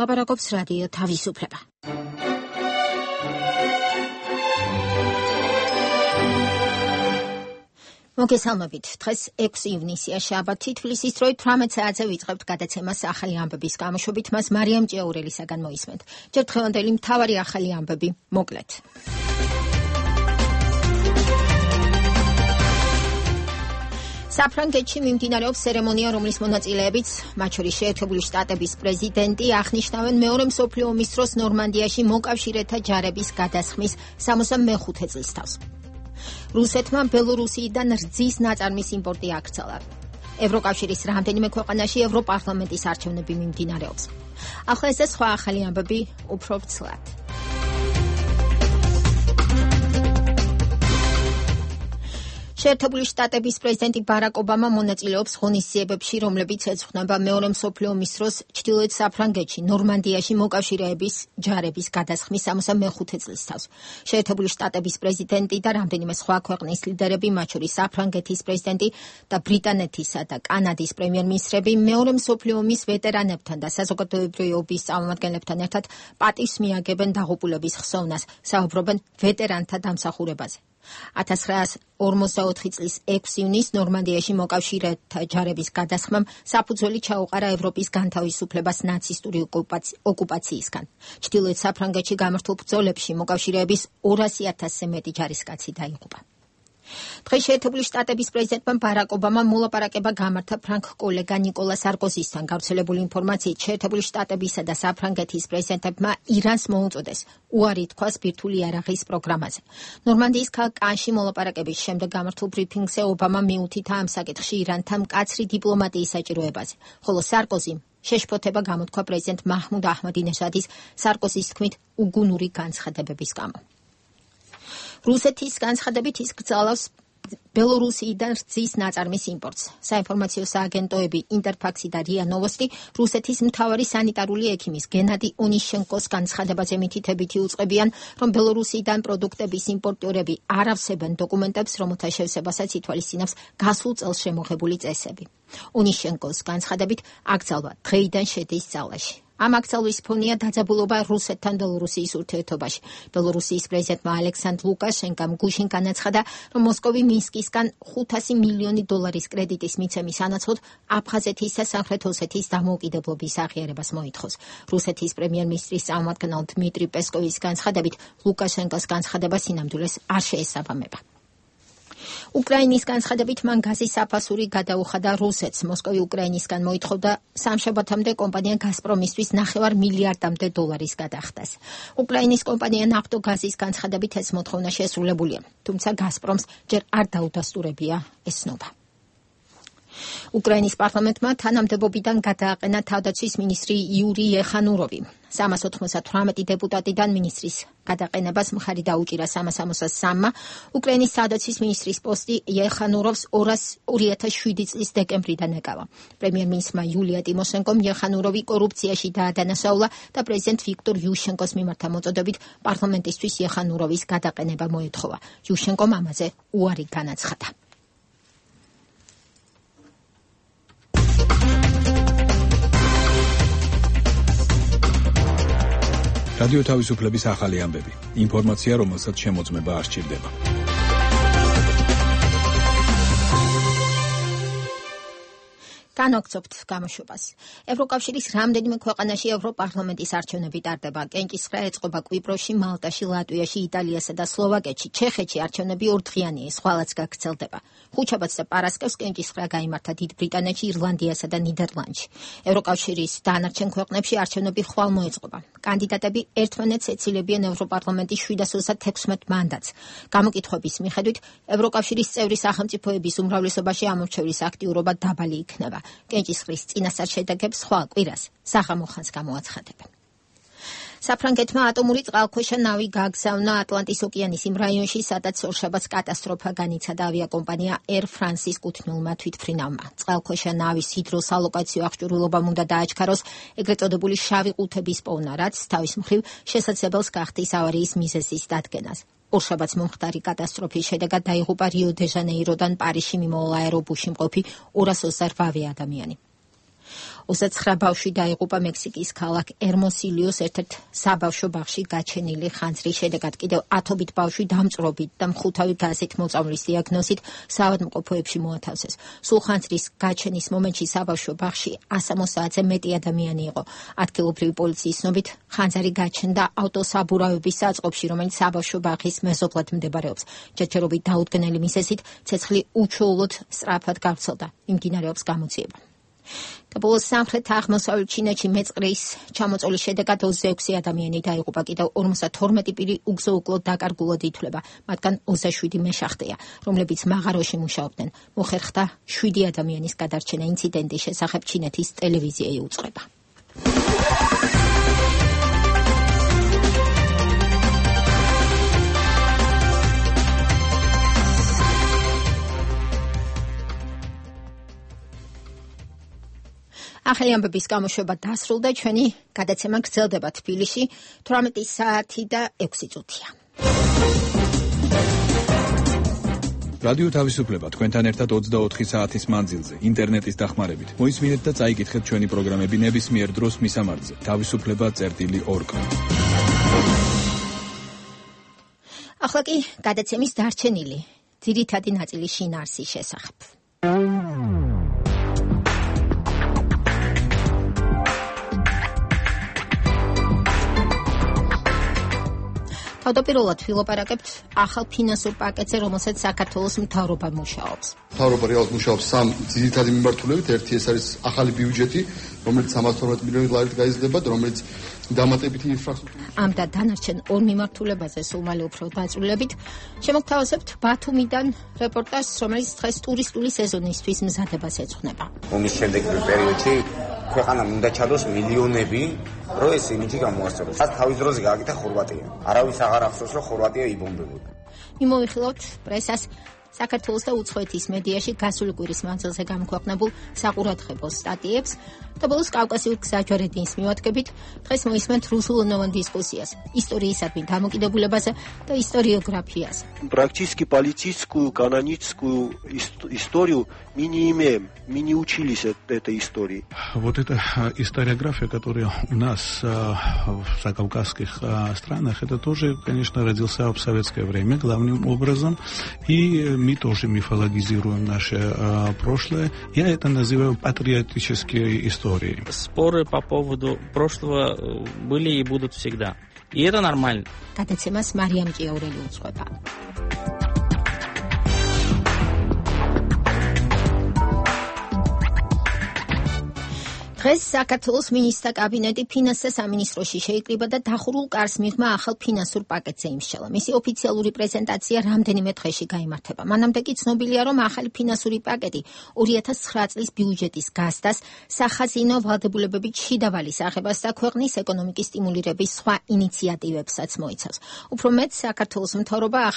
ლაპარაკობს რადიო თავისუფლება. მოგესალმებით. დღეს 6 ივნისია, შაბათი, თბილისის დროით 18 საათზე ვიწყებთ გადაცემას ახალი ამბების გამოშვებით. მას მარიამ ჭიაურელისაგან მოისმენთ. ჯერ დღევანდელი მთავარი ახალი ამბები მოკლედ. საფრანგეთში მიმდინარეობს ცერემონია, რომლის მონაწილეებიც, მათ შორის შეერთებული შტატების პრეზიდენტი, აღნიშნავენ მეორე მსოფლიო ომის დროს ნორმანდიაში მოკავშირეთა ჯარების გადასხმის 65 წლისთავს. რუსეთმა ბელორუსიიდან რძის ნაწარმის იმპორტი აკრძალა. ევროკავშირის რამდენიმე ქვეყანაში ევროპარლამენტის არჩევნები მიმდინარეობს. ახლა ეს და სხვა ახალი ამბები უფრო ცლად. შეერთებული შტატების პრეზიდენტი ბარაკ ობამა მონაწილეობს ღონისძიებებში, რომლებიც ეძღვნება მეორე მსოფლიო ომის დროს ჩრდილოეთ საფრანგეთში, ნორმანდიაში მოკავშირეების ჯარების გადასხმის 65 წლისთავს. შეერთებული შტატების პრეზიდენტი და რამდენიმე სხვა ქვეყნის ლიდერები, მათ შორის საფრანგეთის პრეზიდენტი და ბრიტანეთისა და კანადის პრემიერ-მინისტრები მეორე მსოფლიო ომის ვეტერანებთან და საზოგადოებრივი წარმომადგენლებთან ერთად პატივს მიაგებენ დაღუპულების ხსოვნას, საუბრობენ ვეტერანთა დამსახურებაზე. 1944 წლის 6 ივნისს ნორმანდიაში მოკავშირეთა ჯარების გადასხმამ საფუძველი ჩაუყარა ევროპის განთავისუფლებას ნაცისტური ოკუპაციისგან. ჩრდილოეთ საფრანგეთში გამართულ ბრძოლებში მოკავშირეების 200,000-ზე მეტი ჯარისკაცი დაიღუპა. დღეს შეერთებული შტატების პრეზიდენტმა ბარაკ ობამამ მოლაპარაკება გამართა ფრანგ კოლეგა ნიკოლა სარკოზისთან. გავრცელებული ინფორმაციით, შეერთებული შტატებისა და საფრანგეთის პრეზიდენტებმა ირანს მოუწოდეს უარი თქვას ბირთვული იარაღის პროგრამაზე. ნორმანდიის ქალაქ კანში მოლაპარაკების შემდეგ გამართულ ბრიფინგზე ობამა მიუთითა ამ საკითხში ირანთან მკაცრი დიპლომატიის საჭიროებაზე, ხოლო სარკოზიმ შეშფოთება გამოთქვა პრეზიდენტ მაჰმუდ აჰმადინეჟადის სარკოზის თქმით უგუნური განცხადებების გამო. რუსეთის განცხადებით ის გრძელავს ბელორუსიიდან რძის ნაწარმის იმპორტს. საინფორმაციო სააგენტოები ინტერფაქსი და რია ნოვოსტი რუსეთის მთავარი სანიტარული ექიმის გენადი ონიშენკოს განცხადებაზე მითითებითი უწყებიან, რომ ბელორუსიიდან პროდუქტების იმპორტიორები არ ავსებენ დოკუმენტებს, რომელთა შევსებასაც ითვალისწინებს გასულ წელს შემოღებული წესები. ონიშენკოს განცხადებით აკრძალვა დღეიდან შედის ძალაში. ამ აკრძალვის ფონია დაძაბულობა რუსეთთან ბელორუსიის ურთიერთობაში. ბელორუსიის პრეზიდენტმა ალექსანდრ ლუკაშენკამ გუშინ განაცხადა, რომ მოსკოვი მინსკისგან 500 მილიონი დოლარის კრედიტის მიცემის სანაცვლოდ აფხაზეთის და სამხრეთ ოსეთის დამოუკიდებლობის აღიარებას მოითხოვს. რუსეთის პრემიერ-მინისტრის წარმომადგენელ დმიტრი პესკოვის განცხადებით, ლუკაშენკოს განცხადება სინამდვილეს არ შეესაბამება. უკრაინის განცხადებით მან გაზის საფასური გადაუხადა რუსეთს. მოსკოვი უკრაინისგან მოითხოვდა სამშაბათამდე კომპანია გაზპრომისთვის 9 მილიარდამდე დოლარის გადახდას. უკრაინის კომპანია ნაფტოგაზის განცხადებით ეს მოთხოვნა შესრულებულია, თუმცა გაზპრომს ჯერ არ დაუდასტურებია ეს ცნობა. უკრაინის პარლამენტმა თანამდებობიდან გადააყენა თავდაცვის მინისტრი იური ეხანუროვი. 398 დეპუტატიდან მინისტრის გადაყენებას მხარი დაუჭირა 363-მა. უკრაინის თავდაცვის მინისტრის პოსტი ეხანუროვს 2007 წლის დეკემბრიდან ეკავა. პრემიერ-მინისტრმა იულია ტიმოშენკომ ეხანუროვი კორუფციაში დაადანაშაულა და პრეზიდენტ ვიქტორ იუშენკოს მიმართ მოწოდებით პარლამენტისთვის ეხანუროვის გადაყენება მოეთხოვა. იუშენკომ ამაზე უარი განაცხადა. რადიო თავისუფლების ახალი ამბები. ინფორმაცია, რომელსაც შემოწმება არ სჭირდება. განვაგრძობთ გამოშვებას. ევროკავშირის რამდენიმე ქვეყანაში ევროპარლამენტის არჩევნები ტარდება. კენჭისყრა ეწყობა კვიპროსში, მალტაში, ლატვიაში, იტალიასა და სლოვაკეთში. ჩეხეთში არჩევნები ორდღიანია, სხვალაც გაგრძელდება. ხუთშაბათს და პარასკევს კენჭისყრა გაიმართა დიდ ბრიტანეთში, ირლანდიასა და ნიდერლანდში. ევროკავშირის დანარჩენ ქვეყნებში არჩევნები ხვალ მოეწყობა. კანდიდატები ერთმანეთს ეცილებიან ევროპარლამენტის 736 მანდატს. გამოკითხვების მიხედვით, ევროკავშირის წევრი სახელმწიფოების უმრავლესობაში ამორჩევლის აქტიურობა დაბალი იქნება. კენჭისყრის წინასწარ შედეგებს ხვალ კვირას საღამო ხანს გამოაცხადებენ. საფრანგეთმა ატომური წყალქვეშა ნავი გააგზავნა ატლანტის ოკეანის იმ რაიონში, სადაც ორშაბათს კატასტროფა განიცადა ავიაკომპანია Air France-ის კუთვნილმა თვითმფრინავმა. წყალქვეშა ნავის ჰიდროსალოკაციო აღჭურვილობამ უნდა დააჩქაროს ეგრეთ წოდებული შავი ყუთების პოვნა, რაც თავის მხრივ შესაძლებელს გახდის ავარიის მიზეზის დადგენას. ორშაბათს მომხდარი კატასტროფის შედეგად დაიღუპა რიო-დე-ჟანეიროდან პარიზში მიმავალ აერობუსში მყოფი 228 ადამიანი. 29 ბავშვი დაიღუპა მექსიკის ქალაქ ერმოსილიოს ერთ-ერთ საბავშვო ბაღში გაჩენილი ხანძრის შედეგად. კიდევ 10-ობით ბავშვი დამწვრობით და მხუთავი გაზით მოწამვლის დიაგნოზით საავადმყოფოებში მოათავსეს. სულ ხანძრის გაჩენის მომენტში საბავშვო ბაღში 160-ზე მეტი ადამიანი იყო. ადგილობრივი პოლიციის ცნობით ხანძარი გაჩნდა ავტოსაბურავების საწყობში, რომელიც საბავშვო ბაღის მეზობლად მდებარეობს. ჯერჯერობით დაუდგენელი მიზეზით ცეცხლი უჩვეულოდ სწრაფად გავრცელდა. მიმდინარეობს გამოძიება. და ბოლოს სამხრეთ-აღმოსავლეთ ჩინეთში მეწყრის ჩამოწოლის შედეგად 26 ადამიანი დაიღუპა. კიდევ 52 პირი უგზო-უკლოდ დაკარგულად ითვლება. მათგან 27 მეშახტეა, რომლებიც მაღაროში მუშაობდნენ. მოხერხდა 7 ადამიანის გადარჩენა. ინციდენტის შესახებ ჩინეთის ტელევიზია იუწყება. ახალი ამბების გამოშვება დასრულდა. ჩვენი გადაცემა გრძელდება თბილისში 18 საათი და 6 წუთია. რადიო თავისუფლება თქვენთან ერთად 24 საათის მანძილზე ინტერნეტის დახმარებით. მოისმინეთ და წაიკითხეთ ჩვენი პროგრამები ნებისმიერ დროს მისამართზე. თავისუფლება.org. ახლა კი გადაცემის დარჩენილი ძირითადი ნაწილი შინაარსის შესახებ. თავდაპირველად ვილაპარაკებთ ახალ ფინანსურ პაკეტზე, რომელსაც საქართველოს მთავრობა მუშაობს. მთავრობა რეალურად მუშაობს სამ ძირითადი მიმართულებით. ერთი ეს არის ახალი ბიუჯეტი, რომელიც 112 მილიონი ლარით გაიზრდება, რომელიც დამატებითი ინფრასტრუქტურა. ამ და დანარჩენ ორ მიმართულებაზე სულ მალე უფრო დაწვრილებით შემოგთავაზებთ ბათუმიდან რეპორტაჟს, რომელიც დღეს ტურისტული სეზონისთვის მზადებას ეძღვნება. ომის შემდეგ პერიოდში ქვეყანამ უნდა ჩადოს მილიონები, რომ ეს იმიჯი გამოასწოროს. თავის დროზე გააკეთა ხორვატია. არავის აღარ ახსოვს, რომ ხორვატია იბომბებოდა. მიმოვიხილოთ პრესას საქართველოს და უცხოეთის მედიაში გასული კვირის მანძილზე გამოქვეყნებულ საყურადღებო სტატიებს და ბოლოს კავკასიურ გზაჯვარედინს მივადგებით. დღეს მოისმენთ რუსულენოვან дискуссиას историისადმი დამოკიდებულებაზე და историографияზე. Практически полицейскую, каноническую историю мы не имеем, мы не учились этой истории. Вот эта историография, которая у нас в закавказских странах, это тоже, конечно, родился в советское время главным образом, и мы тоже мифологизируем наше прошлое. Я это называю патриотические истории. Споры по поводу прошлого были и будут всегда. И это нормально. Გადაცემას მარიამ ჭიაურელი უძღვება. დღეს საქართველოს მინისტრთა კაბინეტი ფინანსთა სამინისტროში შეიკრიბა და დახურულ კარს მიღმა ახალ ფინანსურ პაკეტზე იმსჯელა. მისი ოფიციალური პრეზენტაცია რამდენიმე დღეში გაიმართება. მანამდე კი ცნობილია, რომ ახალი ფინანსური პაკეტი 2009 წლის ბიუჯეტის გაზრდას, სახაზინო ვალდებულებებით შიდა ვალის აღებას და ქვეყნის ეკონომიკის სტიმულირების სხვა ინიციატივებსაც მოიცავს. უფრო მეტ, საქართველოს მთავრობის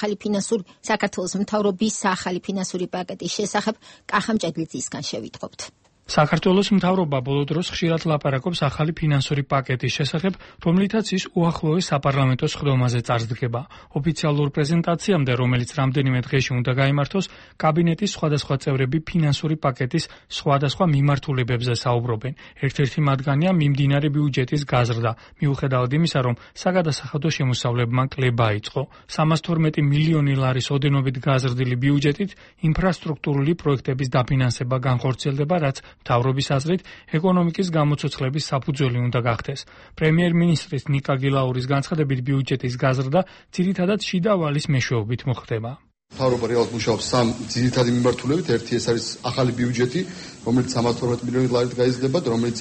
ახალი ფინანსური პაკეტის შესახებ კახამ ჭედლიძისგან შევიტყობთ. საქართველოს მთავრობა ბოლო დროს ხშირად ლაპარაკობს ახალი ფინანსური პაკეტის შესახებ, რომლითაც ის უახლოეს საპარლამენტო სხდომაზე წარსდგება. ოფიციალურ პრეზენტაციამდე, რომელიც რამდენიმე დღეში უნდა გაიმართოს, კაბინეტის სხვადასხვა წევრები ფინანსური პაკეტის სხვადასხვა მიმართულებებზე საუბრობენ. ერთ-ერთი მათგანია მიმდინარე ბიუჯეტის გაზრდა, მიუხედავად იმისა, რომ საგადასახადო შემოსავლებმა კლება იწყო. 312 მილიონი ლარის ოდენობით გაზრდილი ბიუჯეტით ინფრასტრუქტურული პროექტების დაფინანსება განხორციელდება, რაც მთავრობის აზრით ეკონომიკის გამოცოცხლების საფუძველი უნდა გახდეს. პრემიერ-მინისტრის ნიკა გილაურის განცხადებით ბიუჯეტის გაზრდა ძირითადად შიდა ვალის მეშვეობით მოხდება. მთავრობა რეალურად მუშაობს სამ ძირითადი მიმართულებით. ერთი ეს არის ახალი ბიუჯეტი, რომელიც 112 მილიონი ლარით გაიზრდება, რომელიც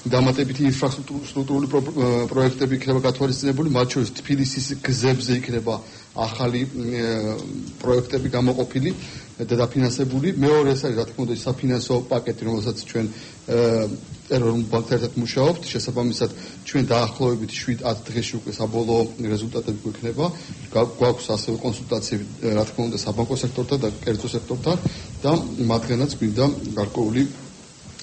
დამატებითი ინფრასტრუქტურული პროექტები იქნება გათვალისწინებული, მათ შორის თბილისის გზებზე იქნება ახალი პროექტები გამოყოფილი და დაფინანსებული. მეორე ეს არის, რა თქმა უნდა, საფინანსო პაკეტი, რომელსაც ჩვენ ეროვნულ ბანკთან ერთად მუშაობთ. შესაბამისად, ჩვენ დაახლოებით 7-10 დღეში უკვე საბოლოო რეზულტატები გვექნება. გვაქვს ასევე კონსულტაციები, რა თქმა უნდა, საბანკო სექტორთან და კერძო სექტორთან და მათგანაც გვინდა გარკვეული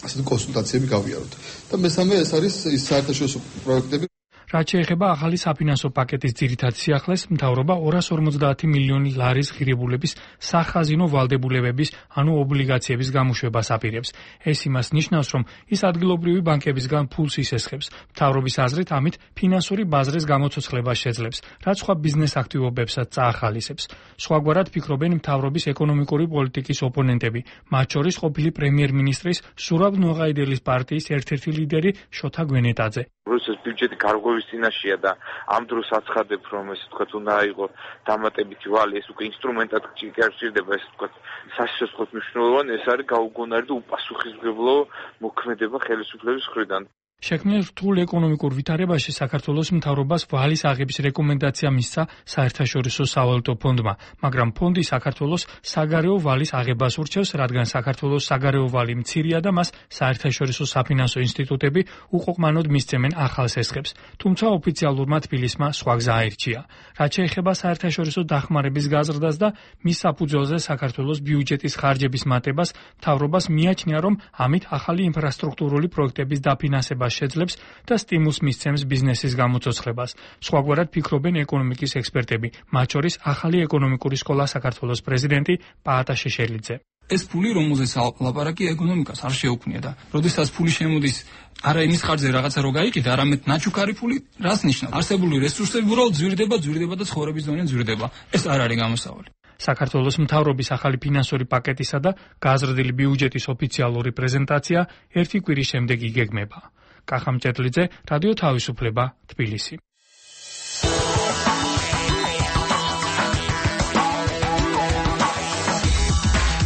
ასეთი კონსულტაციები გავიაროთ. და მესამე ეს არის ის საერთაშორისო პროექტები. რაც შეეხება ახალი საფინანსო პაკეტის ძირითად სიახლეს, მთავრობა 250 მილიონი ლარის ღირებულების სახაზინო ვალდებულებების, ანუ ობლიგაციების გამოშვებას აპირებს. ეს იმას ნიშნავს, რომ ის ადგილობრივი ბანკებისგან ფულს ისესხებს. მთავრობის აზრით, ამით ფინანსური ბაზრის გამოცოცხლებას შეძლებს, რაც სხვა ბიზნეს აქტივობებსაც წაახალისებს. სხვაგვარად ფიქრობენ მთავრობის ეკონომიკური პოლიტიკის ოპონენტები, მათ შორის ყოფილი პრემიერ-მინისტრის სურაბ ნოღაიდელის პარტიის ერთ-ერთი ლიდერი შოთა გვენეტაძე. რუსეთის ბიუჯეტი გარღვევის წინაშეა და ამ დროს აცხადებ, რომ ესე ვთქვათ, უნდა აიღო დამატებითი ვალი, ეს უკვე ინსტრუმენტად ჭირდება, ესე ვთქვათ, სასიცოცხლოდ მნიშვნელოვანი, ეს არის გაუგონარი და უპასუხისმგებლო მოქმედება ხელისუფლების მხრიდან. შექმნილ რთულ ეკონომიკურ ვითარებაში საქართველოს მთავრობას ვალის აღების რეკომენდაცია მისცა საერთაშორისო სავალუტო ფონდმა, მაგრამ ფონდი საქართველოს საგარეო ვალის აღებას ურჩევს, რადგან საქართველოს საგარეო ვალი მცირეა და მას საერთაშორისო საფინანსო ინსტიტუტები უყოყმანოდ მისცემენ ახალ სესხებს. თუმცა ოფიციალურმა თბილისმა სხვა გზა აირჩია. რაც შეეხება საერთაშორისო დახმარების გაზრდას და მის საფუძველზე საქართველოს ბიუჯეტის ხარჯების მატებას, მთავრობას მიაჩნია, რომ ამით ახალი ინფრასტრუქტურული პროექტების დაფინანსება შეძლებს და სტიმულს მისცემს ბიზნესის გამოცოცხლებას. სხვაგვარად ფიქრობენ ეკონომიკის ექსპერტები, მათ შორის ახალი ეკონომიკური სკოლა საქართველოს პრეზიდენტი პაატა შეშელიძე. ეს ფული, რომელზეც ლაპარაკი, ეკონომიკას არ შეუქმნია და როდესაც ფული შემოდის არა იმის ხარჯზე რაღაცა რო გაიყიდა, არამედ ნაჩუქარი ფული, რას ნიშნავს? არსებული რესურსები უბრალოდ ძვირდება და ცხოვრების დონე ძვირდება. ეს არ არის გამოსავალი. საქართველოს მთავრობის ახალი ფინანსური პაკეტისა და გაზრდილი ბიუჯეტის ოფიციალური პრეზენტაცია ერთი კვირის შემდეგ იგეგმება. კახა მჭედლიძე, რადიო თავისუფლება, თბილისი.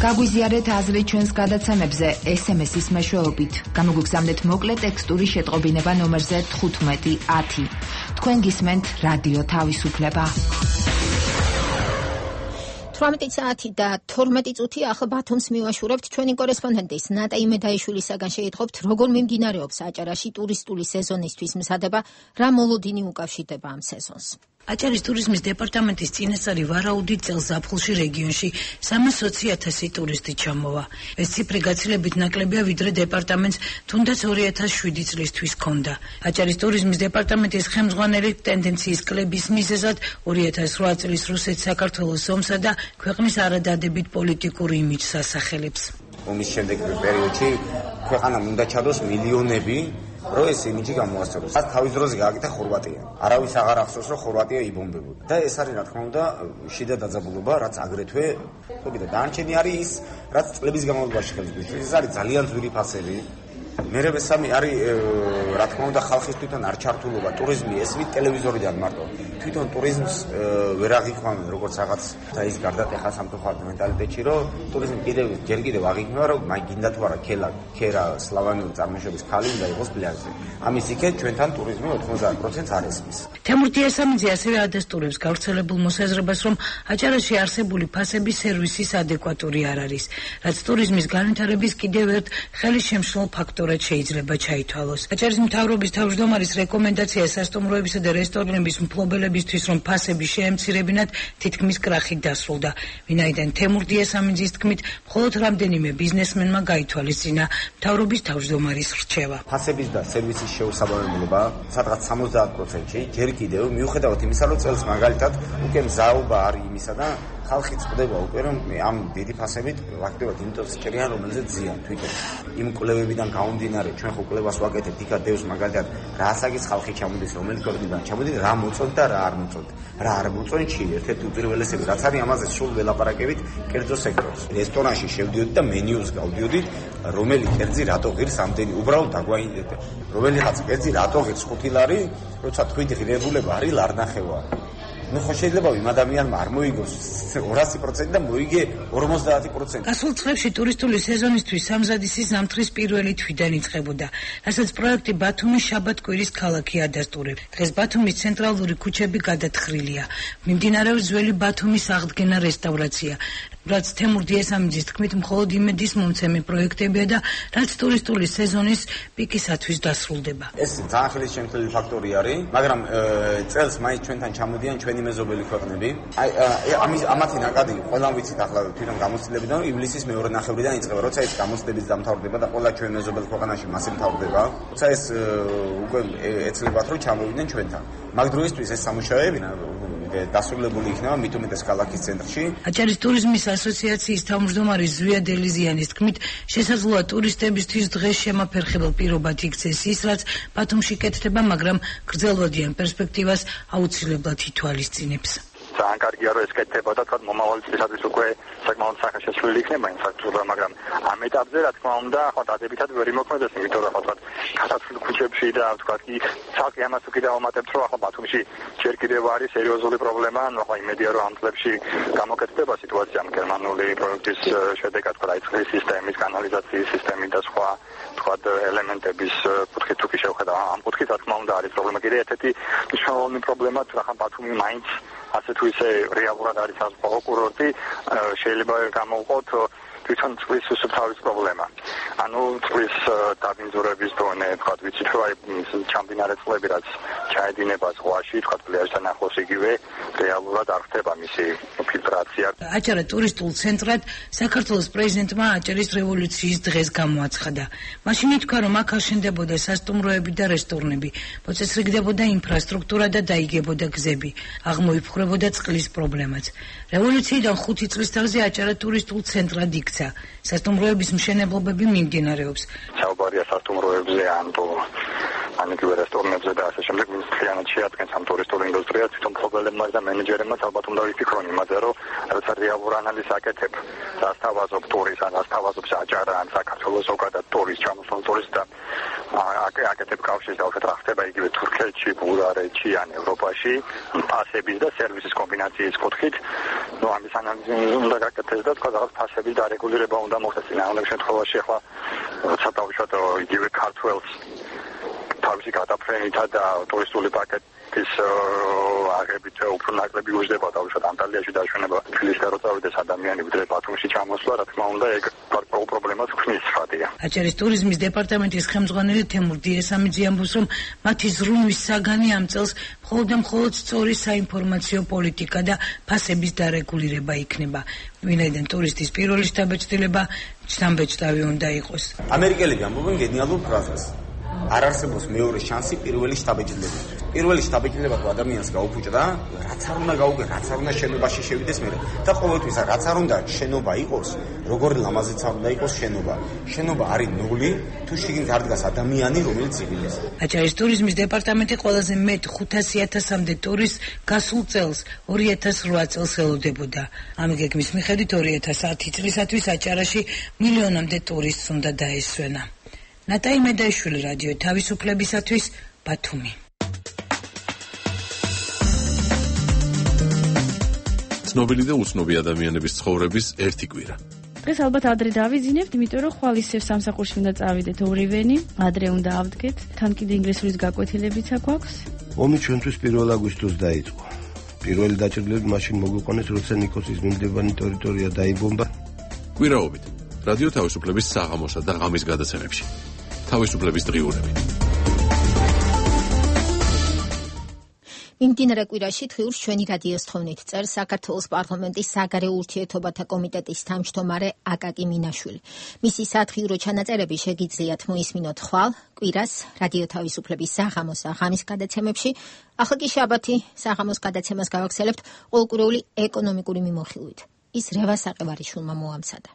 გაგვიზიარეთ აზრი ჩვენს გადაცემებზე SMS-ის მეშვეობით. გამოგვიგზავნეთ მოკლე ტექსტური შეტყობინება ნომერზე 1510. თქვენ გისმენთ რადიო თავისუფლება. 18 საათი და 12 წუთი ახლა ბათუმს მივაშურებთ ჩვენი კორესპონდენტის ნატაი მედაიშვილისაგან შეიტყობთ, როგორ მიმდინარეობს აჭარაში ტურისტული სეზონისთვის მზადება, რა მოლოდინი უკავშირდება ამ სეზონს. აჭარის ტურიზმის დეპარტამენტის წინასწარი ვარაუდით წელს ზაფხულში რეგიონში 320,000 ტურისტი ჩამოვა. ეს ციფრი გაცილებით ნაკლებია, ვიდრე დეპარტამენტს თუნდაც 2007 წლისთვის ჰქონდა. აჭარის ტურიზმის დეპარტამენტის ხელმძღვანელი ტენდენციის კლების მიზეზად 2008 წლის რუსეთ-საქართველოს ომსა და ქვეყნის არადადებით პოლიტიკური იმიჯს ასახელებს. ომის შემდეგ პერიოდში ქვეყანამ უნდა ჩადოს მილიონები, რომ ეს იმიჯი გამოასწოროს. მას თავის დროზე გააკეთა ხორვატია. არავის აღარ ახსოვს, რომ ხორვატია იბომბებოდა. და ეს არის, რა თქმა უნდა, შიდა დაძაბულობა, რაც აგრეთვე, ხობიდა, დანარჩენი არის ის, რაც წლების განმავლობაში ხელს გვიწვევს. ეს არის ძალიან ძვირი ფასები. მერე მესამე არის, რა თქმა უნდა, ხალხის თვითონ არ ჩართულობა, ტურიზმი ესმით ტელევიზორიდან მარტო. თვითონ ტურიზმს ვერ აღიქვამენ როგორც რაღაც და ის გარდატეხა სამწუხაროდ მენტალიტეტში, რომ ტურიზმი ჯერ კიდევ აღიქმება, რომ გინდა თუ არა ქერა სლავანური წარმოშობის ქალი უნდა იყოს პლაჟზე. ამის იქეთ ჩვენთან ტურიზმი 90% არ ესმის. თემურ დიასამიძე ასევე ადასტურებს გავრცელებულ მოსაზრებას, რომ აჭარაში არსებული ფასების სერვისის ადეკვატური არ არის, რაც ტურიზმის განვითარების კიდევ ერთ ხელისშემშლელ ფაქტორად შეიძლება ჩაითვალოს. აჭარის მთავრობის თავმჯდომარის რეკომენდაცია სასტუმროებისა და რესტორნების მფლობელებისთვის, რომ ფასები შეემცირებინათ, თითქმის კრახით დასრულდა. ვინაიდან თემურ დიასამიძის თქმით, მხოლოდ რამდენიმე ბიზნესმენმა გაითვალისწინა მთავრობის თავმჯდომარის რჩევა. ფასების და სერვისის შეუსაბამებლობა სადღაც 70%-ში ჯერ კიდევ მიუხედავად იმისა, რომ წელს მაგალითად უკვე მზაობა არის იმისა და ხალხი წდება უკვე, რომ ამ დიდი ფასებით ფაქტობრივად იმიტომ ჭრიან, რომელზეც ზიან თვითონ. იმ კვლევებიდან გამომდინარე, ჩვენ ხო კვლევას ვაკეთებთ, იქა დევს მაგალითად რა ასაკის ხალხი ჩამოდის, რომელი ქვეყნიდან ჩამოდის, რა მოწონთ და რა არ მოწონთ. რა არ მოწონთ, ერთ-ერთი უპირველესები, რაც არის ამაზე სულ ველაპარაკებით კერძო სექტორს. რესტორანში შევდიოდი და მენიუს გავდიოდით, რომელი კერძი რატო ღირს ამდენი, უბრალოდ დაგვაინდეთ. რომელიღაც კერძი რატო ღირს 5 ლარი, როცა თქვით ღირებულება არის ლარნახევა. ნუ ხო შეიძლება იმ ადამიანმა არ მოიგოს 200% და მოიგე 50%. გასულ წლებში ტურისტული სეზონისთვის სამზადისის ზამთრის პირველი თვიდან იწყებოდა, რასაც პროექტი ბათუმის შაბათ-კვირის ქალაქი ადასტურებს. დღეს ბათუმის ცენტრალური ქუჩები გადათხრილია. მიმდინარეობს ძველი ბათუმის აღდგენა რესტავრაცია. რაც თემურ დიესამიძის თქმით მხოლოდ იმედის მომცემი პროექტებია და რაც ტურისტული სეზონის პიკისათვის დასრულდება. ეს ძალიან ხელისშემცვლელი ფაქტორი არის, მაგრამ წელს მაინც ჩვენთან ჩამოდიან ჩვენი მეზობელი ქვეყნები. ამათი ნაკადი ყველამ ვიცით ახლა თვითონ გამოცდილებიდან ივლისის მეორე ნახევრიდან იწყება, როცა ეს გამოცდილების დამთავრდება და ყველა ჩვენ მეზობელ ქვეყანაში მასე მთავრდება. როცა ეს უკვე ეცლებათ რომ ჩამოვიდნენ ჩვენთან. მაგ დროისთვის ეს სამუშაოები დასრულებული იქნება მით უმეტეს ქალაქის ცენტრში. აჭარის ტურიზმის ასოციაციის თავმჯდომარე ზვია დელიზიანის თქმით, შესაძლოა ტურისტებისთვის დღეს შემაფერხებელ პირობად იქცეს ის, რაც ბათუმში კეთდება, მაგრამ გრძელვადიან პერსპექტივას აუცილებლად ითვალისწინებს. ძალიან კარგია რომ ეს კეთდება და თქვა მომავალი წლისათვის უკვე საკმაოდ სახეშეცვლილი იქნება ინფრასტრუქტურა, მაგრამ ამ ეტაპზე რა თქმა უნდა ხო დადებითად ვერ იმოქმედებს, იმიტომ რომ ხო თქვა გასართულ ქუჩებში და თქვა კი ცალკე ამას უკვე დავამატებთ რომ ხო ბათუმში ჯერ კიდევ არის სერიოზული პრობლემა, ანუ ხო იმედია რომ ამ წლებში გამოკეთდება სიტუაცია ამ გერმანული პროექტის შედეგად ხო დაიწყეს სისტემის, კანალიზაციის სისტემის და სხვა თქვა ელემენტების კუთხით თუ კი შევხედავ ამ კუთხით რა თქმა უნდა არის პრობლემა. კიდევ ერთ-ერთი მნიშვნელოვანი პრობლემა რა ხან ბათუმი მაინც ასე თუ ისე რეალურად არის საზღვაო კურორტი, შეიძლება გამოვყოთ თვითონ წყლის სუფთავის პრობლემა. ანუ წყლის დაბინძურების დონე, თქვა ვიცით რომ აი ჩამდინარე წყლები რაც ჩაედინება ზღვაში, თქვა პლაჟთან ახლოს იგივე რეალურად არ ხდება მისი ფილტრაცია. აჭარა ტურისტულ ცენტრად საქართველოს პრეზიდენტმა აჭარის რევოლუციის დღეს გამოაცხადა. მაშინ ითქვა რომ აქ აშენდებოდა სასტუმროები და რესტორნები, მოწესრიგდებოდა ინფრასტრუქტურა და დაიგებოდა გზები, აღმოიფხვრებოდა წყლის პრობლემაც. რევოლუციიდან 5 წლის თავზე აჭარა ტურისტულ ცენტრად იქცა. სასტუმროების მშენებლობები მიმდინარეობს. საუბარია სასტუმროებზე ან იგივე რესტორნებზე და ასე შემდეგ, ვინც მთლიანად შეადგენს ამ ტურისტულ ინდუსტრიას, თვითონ მფლობელებმა და მენეჯერებმა ალბათ უნდა ვიფიქრონ იმაზე, რომ როცა რეალურ ანალიზს აკეთებ, რას თავაზობ ტურისტს, ან რას თავაზობს აჭარა, ან საქართველოს ზოგადად ტურისტს, ჩამოსულ ტურისტს და აკეთებ კავშირს და რა ხდება იგივე თურქეთში, ბულგარეთში ან ევროპაში, ფასების და სერვისის კომბინაციის კუთხით, ნუ ამის ანალიზი უნდა გაკეთდეს და თქვა რაღაც ფასების დარეგულირება უნდა მოხდეს. ამ შემთხვევაში ახლა როცა დავუშვათ იგივე ქართველს თავისი გადაფრენითა და ტურისტული პაკეტის აღებით უფრო ნაკლები უждდება დავუშვათ ანტალიაში დაშვენება თბილისში რო წავიდეს ადამიანი ვიდრე ბათუმში ჩამოსვლა, რა თქმა უნდა ეგ პრობლემას ქმნის ხადია. აჭარის ტურიზმის დეპარტამენტის ხელმძღვანელი თემურ დიესამიძე ამბობს, რომ მათი ზრუნვის საგანი ამ წელს მხოლოდ სწორი საინფორმაციო პოლიტიკა და ფასების დარეგულირება იქნება. ვინაიდან ტურისტის პირველი შთაბეჭდილება შთამბეჭდავი უნდა იყოს. ამერიკელები ამბობენ გენიალურ ფრაზას. არ არსებობს მეორე შანსი პირველი შთაბეჭდილება. პირველი შთაბეჭდილება თუ ადამიანს გაუფუჭდა, რაც არ უნდა გაუგე, რაც არ უნდა შენობაში შევიდეს მერე. და ყოველთვის რაც არ უნდა შენობა იყოს, როგორი ლამაზიც არ უნდა იყოს შენობა. შენობა არის ნული, თუ შიგნით არ დგას ადამიანი, რომელიც იგილეს. აჭარის ტურიზმის დეპარტამენტი ყველაზე მეტ 500,000-მდე ტურისტს გასულ წელს 2008 წელს ელოდებოდა. ამ გეგმის მიხედვით 2010 წლისათვის აჭარაში მილიონამდე ტურისტს უნდა დაესვენა. ნატაი მედაიშვილი, რადიო თავისუფლებისათვის, ბათუმი. ცნობილი და უცნობი ადამიანების ცხოვრების ერთი კვირა. დღეს ალბათ ადრე დავიძინებთ, იმიტომ რომ ხვალ ისევ სამსახურში უნდა წავიდეთ ორივენი, ადრე უნდა ავდგეთ, თან კიდე ინგლისურის გაკვეთილებიც აქვს. ომი ჩვენთვის 1 აგვისტოს დაიწყო. პირველი დაჭრილები მაშინ მოგვიყვანეს, როცა ნიკოსის მიმდებარე ტერიტორია დაიბომბა. კვირაობით რადიო თავისუფლების საღამოსა და ღამის გადაცემებში. თავისუფლების დღიურები. მიმდინარე კვირაში თვიურს ჩვენი რადიოს თხოვნით წერს საქართველოს პარლამენტის საგარეო ურთიერთობათა კომიტეტის თავმჯდომარე აკაკი მინაშვილი. მისი სათხიურო ჩანაწერები შეგიძლიათ მოისმინოთ ხვალ კვირას რადიო თავისუფლების საღამოს და ღამის გადაცემებში. ახლა კი შაბათი საღამოს გადაცემას გავაგრძელებთ ყოველკვირეული ეკონომიკური მიმოხილვით. ის რევას საყევარიშვილმა მოამცადა.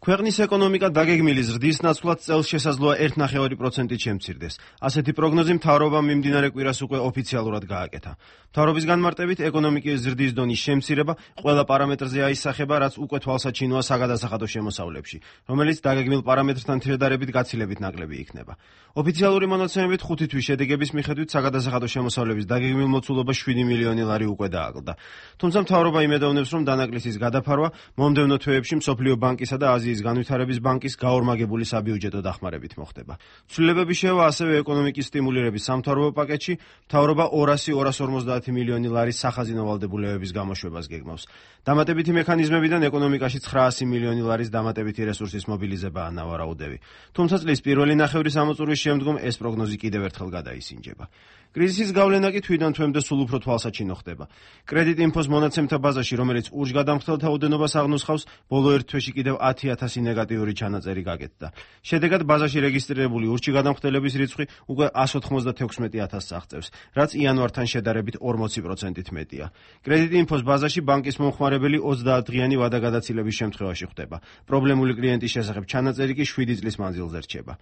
ქვეყნის ეკონომიკა დაგეგმილი ზრდის ნაცვლად წელს შესაძლოა 1.5%-ით შემცირდეს. ასეთი პროგნოზი მთავრობამ მიმდინარე კვირას უკვე ოფიციალურად გააკეთა. მთავრობის განმარტებით ეკონომიკის ზრდის დონის შემცირება ყველა პარამეტრზე აისახება, რაც უკვე თვალსაჩინოა საგადასახადო შემოსავლებში, რომელიც დაგეგმილ პარამეტრთან თირედარებით გაცილებით ნაკლები იქნება. ოფიციალური მონაცემებით 5 თვის შედეგების მიხედვით საგადასახადო შემოსავლების დაგეგმილ მოცულობა 7 მილიონი ლარი უკვე დააკლდა. თუმცა მთავრობა იმედოვნებს, რომ დანაკლისის გადაფარვა მომდევნო თვეებში მსოფლიო ბანკისა და აზიის აზიის განვითარების ბანკის გაორმაგებული საბიუჯეტო დახმარებით მოხდება. ცვლილებები შევა ასევე ეკონომიკის სტიმულირების სამთავრობო პაკეტში, მთავრობა 200-250 მილიონი ლარის სახაზინო ვალდებულებების გამოშვებას გეგმავს. დამატებითი მექანიზმებიდან ეკონომიკაში 900 მილიონი ლარის დამატებითი რესურსის მობილიზებაა ნავარაუდები. თუმცა წლის პირველი ნახევრის ამოწურვის შემდგომ ეს პროგნოზი კიდევ ერთხელ გადაისინჯება. კრიზისის გავლენა კი თვიდან თვემდე სულ უფრო თვალსაჩინო ხდება. კრედიტ-ინფოს მონაცემთა ბაზაში, რომელიც ურჯგადამხდელთა ოდენობას აღნუსხავს, ბოლო ერთ თვეში კიდევ 10,000 ნეგატიური ჩანაწერი გაკეთდა. შედეგად ბაზაში რეგისტრირებული ურჯგადამხდელების რიცხვი უკვე 196,000-ს აღწევს, რაც იანვართან შედარებით 40%-ით მეტია. კრედიტ-ინფოს ბაზაში ბანკის მომხმარებელი 30 დღიანი ვადაგადაცილების შემთხვევაში ხდება. პრობლემული კლიენტის შესახებ ჩანაწერი კი 7 წლის მანძილზე რჩება.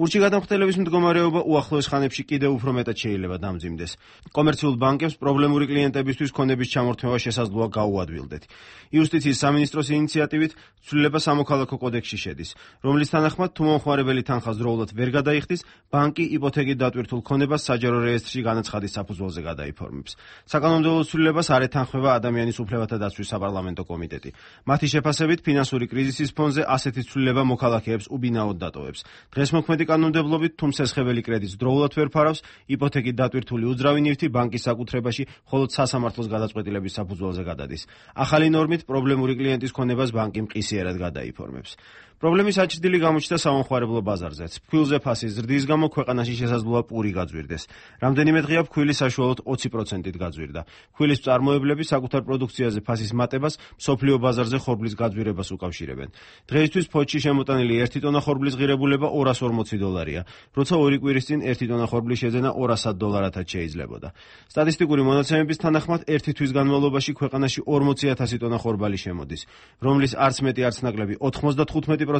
ურჩიგადამხდელების მდგომარეობა უახლოეს ხანებში კიდევ უფრო მეტად შეიძლება დამძიმდეს. კომერციულ ბანკებს პრობლემური კლიენტებისთვის ქონების ჩამორთმევა შესაძლოა გაუადვილდეთ. იუსტიციის სამინისტროს ინიციატივით ცვლილება სამოქალაქო კოდექსში შედის, რომლის თანახმად თუ მომხმარებელი თანხას დროულად ვერ გადაიხდის, ბანკი იპოთეკით დატვირთულ ქონებას საჯარო რეესტრში განაცხადის საფუძველზე გადაიფორმებს. საკანონმდებლო ცვლილებას არ ეთანხმება ადამიანის უფლებათა დაცვის საპარლამენტო კომიტეტი. მათი შეფასებით ფინანსური კრიზისის ფონზე ასეთი ცვლილება მოქალაქეებს უბინაოდ დატოვებს. დღეს მოქმედი კანონმდებლობით თუ მსესხებელი კრედიტს დროულად ვერ ფარავს, იპოთეკით დატვირთული უძრავი ნივთი ბანკის საკუთრებაში მხოლოდ სასამართლოს გადაწყვეტილების საფუძველზე გადადის. ახალი ნორმით პრობლემური კლიენტის ქონებას ბანკი მყისიერად გადაიფორმებს. პრობლემის აჩრდილი გამოჩნდა სამომხმარებლო ბაზარზეც. ფქვილზე ფასის ზრდის გამო ქვეყანაში შესაძლოა პური გაძვირდეს. რამდენიმე დღეა ფქვილი საშუალოდ 20%-ით გაძვირდა. ფქვილის მწარმოებლები საკუთარ პროდუქციაზე ფასის მატებას მსოფლიო ბაზარზე ხორბლის გაძვირებას უკავშირებენ. დღეისთვის ფოთში შემოტანილი 1 ტონა ხორბლის ღირებულება $240, როცა 2 კვირის წინ 1 ტონა ხორბლის შეძენა $200-ად შეიძლებოდა. სტატისტიკური მონაცემების თანახმად 1 თვის განმავლობაში ქვეყანაში 40,000 ტონა ხორბალი შემოდის, რომლის არც მეტი არც ნაკლები 95%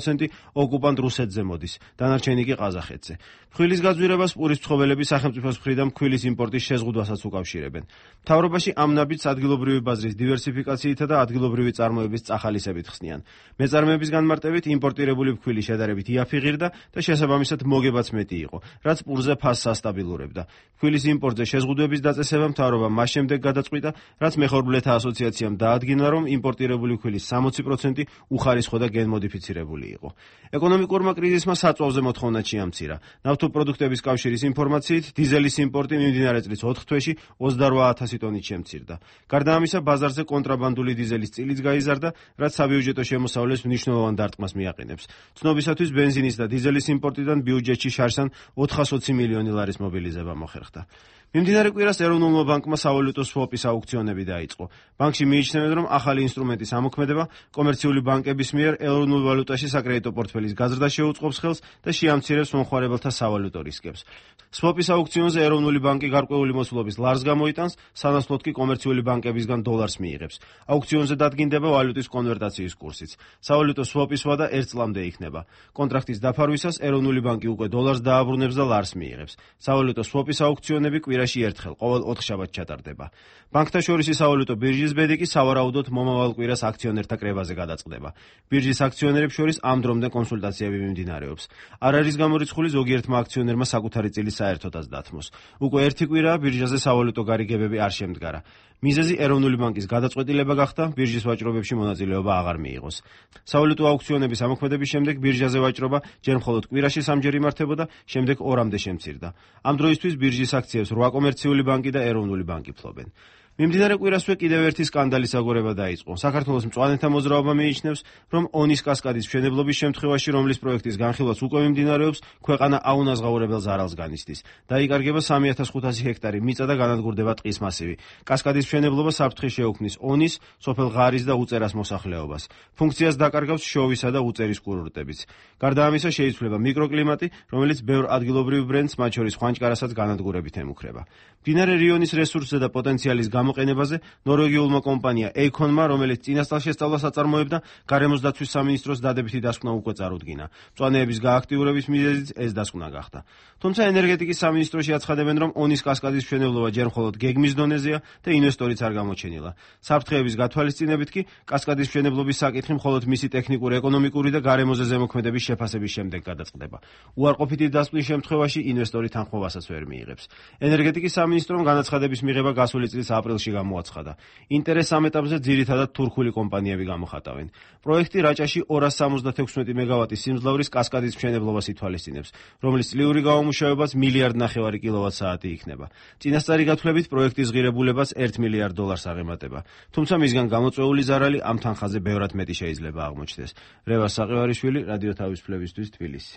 ოკუპანტ რუსეთზე მოდის, დანარჩენი კი ყაზახეთზე. ფქვილის გაძვირებას პურის მცხოვრები სახელმწიფოს მხრიდან ფქვილის იმპორტის შეზღუდვასაც უკავშირებენ. მთავრობაში ამ ნაბიჯს ადგილობრივი ბაზრის დივერსიფიკაციითა და ადგილობრივი წარმოების წახალისებით ხსნიან. მეწარმეების განმარტებით იმპორტირებული ფქვილი შედარებით იაფი ღირდა და შესაბამისად მოგებაც მეტი იყო, რაც პურზე ფასს ასტაბილურებდა. ფქვილის იმპორტზე შეზღუდვების დაწესება მთავრობამ მას შემდეგ გადაწყვიტა, რაც მეხორბლეთა ასოციაციამ დაადგინა, რომ იმპორტირებული ფქვილის 60% უხარისხო და გენმოდიფიცირებული იყო. ეკონომიკურმა კრიზისმა საწვავზე მოთხოვნა ჩიამცირა. ნავთობპროდუქტების კავშირის ინფორმაციით, დიზელის იმპორტი მიმდინარე წლის 4 თვეში 28,000 ტონით შემცირდა. გარდა ამისა, ბაზარზე კონტრაბანდული დიზელის წილიც გაიზარდა, რაც საბიუჯეტო შემოსავლეს მნიშვნელოვან დარტყმას მიაყენებს. ცნობისათვის ბენზინის და დიზელის იმპორტიდან ბიუჯეტში შარშან 420 მილიონი ლარის მობილიზება მოხერხდა. მიმდინარე კვირას ეროვნულმა ბანკმა სავალუტო სვოპის აუქციონები დაიწყო. ბანკში მიიჩნევენ, რომ ახალი ინსტრუმენტის ამოქმედება კომერციული ბანკების მიერ ეროვნულ ვალუტაში საკრედიტო პორტფელის გაზრდა შეუწყობს ხელს და შეამცირებს მომხმარებელთა სავალუტო რისკებს. სვოპის აუქციონზე ეროვნული ბანკი გარკვეული მოსულობის ლარს გამოიტანს, სანაცვლოდ კი კომერციული ბანკებისგან დოლარს მიიღებს. აუქციონზე დადგინდება ვალუტის კონვერტაციის კურსიც. სავალუტო სვოპის ვადა 1 წლამდე იქნება. კონტრაქტის დაფარვისას ეროვნული ბანკი უკვე დოლარს დააბრუნებს და ლარს მიიღებს. სავალუტო სვოპის აუქციონები კვირაში ერთხელ ყოველ 4 შაბათს ჩატარდება. ბანკთა შორისი სავალუტო ბირჟის ბედი კი სავარაუდოდ მომავალ კვირას აქციონერთა კრებაზე გადაწყდება. ბირჟის აქციონერებს შორის ამ დრომდე კონსულტაციები მიმდინარეობს. არ არის გამორიცხული ზოგიერთმა აქციონერმა საკუთარი წილი საერთოდაც დათმოს. უკვე 1 კვირაა ბირჟაზე სავალუტო გარიგებები არ შემდგარა. მიზეზი ეროვნული ბანკის გადაწყვეტილება გახდა, ბირჟის ვაჭრობებში მონაწილეობა აღარ მიიღოს. სავალუტო აუქციონების ამოქმედების შემდეგ ბირჟაზე ვაჭრობა ჯერ მხოლოდ კვირაში 3-ჯერ იმართებოდა, შემდეგ 2-მდე შემცირდა. ამ დროისთვის ბირჟის აქციებს 8 კომერციული ბანკი და ეროვნული ბანკი ფლობენ. მიმდინარე კვირასვე კიდევ ერთი სკანდალის აგორება დაიწყო. საქართველოს მწვანეთა მოძრაობა მიიჩნევს, რომ ონის კასკადის მშენებლობის შემთხვევაში, რომლის პროექტის განხილვაც უკვე მიმდინარეობს, ქვეყანა აუნაზღაურებელ ზარალს განიცდის. დაიკარგება 3500 ჰექტარი მიწა და განადგურდება ტყის მასივი. კასკადის მშენებლობა საფრთხე შეუქმნის ონის, სოფელ ღარის და უწერას მოსახლეობას. ფუნქციას დაკარგავს შოვისა და უწერის კურორტებიც. გარდა ამისა შეიცვლება მიკროკლიმატი, რომელიც ბევრ ადგილობრივ ბრენდს, მათ შორის ხვანჭკარასაც განადგურებით ემუქრება. მდინარე რიონის რესურსზე და პოტენციალის გამოყენებაზე ნორვეგიულმა კომპანია Eikon-მა, რომელიც წინასწარ-შესწავლას აწარმოებდა, გარემოს დაცვის სამინისტროს დადებითი დასკვნა უკვე წარუდგინა. მწვანეების გააქტიურების მიზეზიც ეს დასკვნა გახდა. თუმცა ენერგეტიკის სამინისტროში აცხადებენ, რომ ონის კასკადის მშენებლობა ჯერ მხოლოდ გეგმის დონეზეა და ინვესტორიც არ გამოჩენილა. საფრთხეების გათვალისწინებით კი კასკადის მშენებლობის საკითხი მხოლოდ მისი ტექნიკური, ეკონომიკური და გარემოზე ზემოქმედების შეფასების შემდეგ გადაწყდება. უარყოფითი დასკვნის შემთხვევაში ინვესტორი თანხმოვასაც ვერ მიიღებს. ენერგეტიკის სამინისტრომ განაცხადების მიღება გასული წლის აპრილში წერილში გამოაცხადა. ინტერესს ამ ეტაპზე ძირითადად თურქული კომპანიები გამოხატავენ. პროექტი რაჭაში 276 მეგავატის სიმძლავრის კასკადის მშენებლობას ითვალისწინებს, რომლის წლიური გამომუშავებაც 1,5 მილიარდი კილოვატ-საათი იქნება. წინასწარი გათვლებით პროექტის ღირებულებას $1 მილიარდ აღემატება. თუმცა მისგან გამოწვეული ზარალი ამ თანხაზე ბევრად მეტი შეიძლება აღმოჩნდეს. რევას საყევარიშვილი, რადიო თავისუფლებისთვის, თბილისი.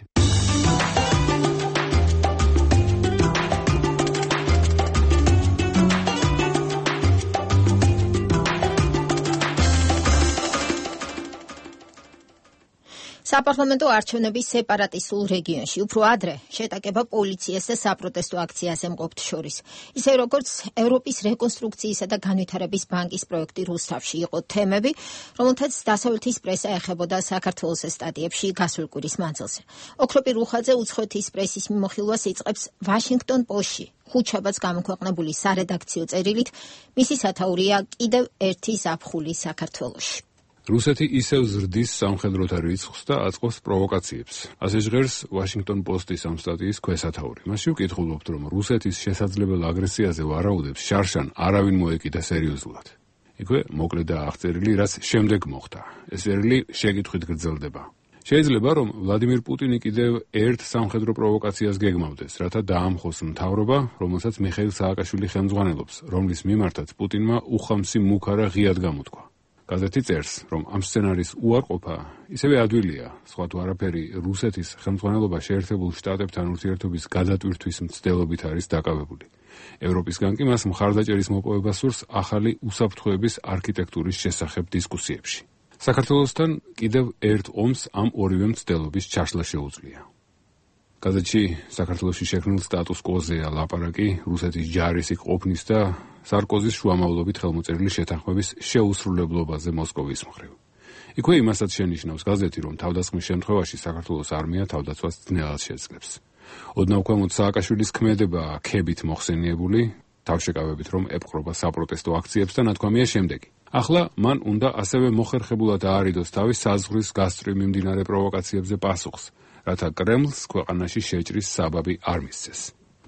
საპარლამენტო არჩევნების სეპარატისტულ რეგიონში უფრო ადრე შეტაკება პოლიციას და საპროტესტო აქციაზე მყოფთ შორის. ისე როგორც ევროპის რეკონსტრუქციისა და განვითარების ბანკის პროექტი რუსთავში იყო თემები, რომელთაც დასავლეთის პრესა ეხებოდა საქართველოს სტატიებში გასულ კვირის მანძილზე. ოქროპი რუხაძე უცხოეთის პრესის მიმოხილვას იწყებს ვაშინგტონ პოსტში. ხუთშაბათს გამოქვეყნებული სარედაქციო წერილით, მისი სათაურია კიდევ ერთი ზაფხული საქართველოში. რუსეთი ისევ ზრდის სამხედროთა რიცხვს და აწყობს პროვოკაციებს. ასე ჟღერს ვაშინგტონ პოსტის ამ სტატიის ქვესათაური. მასში ვკითხულობთ, რომ რუსეთის შესაძლებელ აგრესიაზე ვარაუდებს შარშან არავინ მოეკიდა სერიოზულად. იქვე მოკლედ და აღწერილი, რაც შემდეგ მოხდა. ეს წერილი შეკითხვით გრძელდება. შეიძლება, რომ ვლადიმირ პუტინი კიდევ ერთ სამხედრო პროვოკაციას გეგმავდეს, რათა დაამხოს მთავრობა, რომელსაც მიხეილ სააკაშვილი ხელმძღვანელობს, რომლის მიმართაც პუტინმა უხამსი მუქარა ღიად გამოთქვა. გაზეთი წერს, რომ ამ სცენარის უარყოფა ისევე ადვილია, სხვა თუ არაფერი რუსეთის ხელმძღვანელობა შეერთებულ შტატებთან ურთიერთობის გადატვირთვის მცდელობით არის დაკავებული. ევროპისგან კი მას მხარდაჭერის მოპოვება სურს ახალი უსაფრთხოების არქიტექტურის შესახებ დისკუსიებში. საქართველოსთან კიდევ ერთ ომს ამ ორივე მცდელობის ჩაშლა შეუძლია. გაზეთში საქართველოში შექმნილ სტატუს კვოზეა ლაპარაკი რუსეთის ჯარისიქ ყოფნის და სარკოზის შუამავლობით ხელმოწერილი შეთანხმების შეუსრულებლობაზე მოსკოვის მხრივ. იქვე იმასაც შენიშნავს გაზეთი, რომ თავდასხმის შემთხვევაში საქართველოს არმია თავდაცვას ძნელად შეძლებს. ოდნავ ქვემოთ სააკაშვილის ქმედება ქებით მოხსენიებული, თავშეკავებით რომ ეპყრობა საპროტესტო აქციებს და ნათქვამია შემდეგი. ახლა მან უნდა ასევე მოხერხებულად აარიდოს თავის საზღვრის გასწვრივ მიმდინარე პროვოკაციებზე პასუხს, რათა კრემლს ქვეყანაში შეჭრის საბაბი არ მისცეს.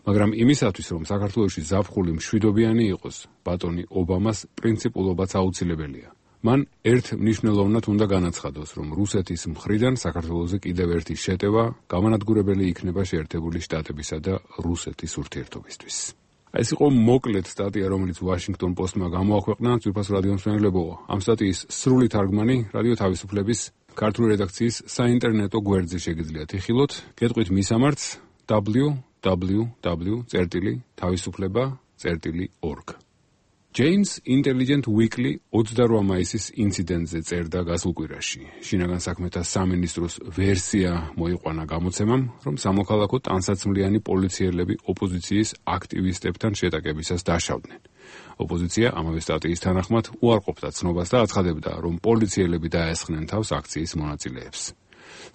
მაგრამ იმისათვის, რომ საქართველოში ზაფხული მშვიდობიანი იყოს, ბატონი ობამას პრინციპულობაც აუცილებელია. მან ერთ მნიშვნელოვნად უნდა განაცხადოს, რომ რუსეთის მხრიდან საქართველოზე კიდევ ერთი შეტევა გამანადგურებელი იქნება შეერთებული შტატებისა და რუსეთის ურთიერთობისთვის. ეს იყო მოკლედ სტატია, რომელიც ვაშინგტონ პოსტმა გამოაქვეყნა. ძვირფას რადიო მსმენელებო, ამ სტატიის სრული თარგმანი რადიო თავისუფლების ქართული რედაქციის საინტერნეტო გვერდზე შეგიძლიათ იხილოთ. გეტყვით მისამართს www.tavisupleba.org. Jane's Intelligent Weekly 28 მაისის ინციდენტზე წერდა გასულ კვირაში. შინაგან საქმეთა სამინისტროს ვერსია მოიყვანა გამოცემამ, რომ სამოქალაქო ტანსაცმლიანი პოლიციელები ოპოზიციის აქტივისტებთან შეტაკებისას დაშავდნენ. ოპოზიცია ამავე სტატიის თანახმად უარყოფდა ცნობას და აცხადებდა, რომ პოლიციელები დაესხნენ თავს აქციის მონაწილეებს.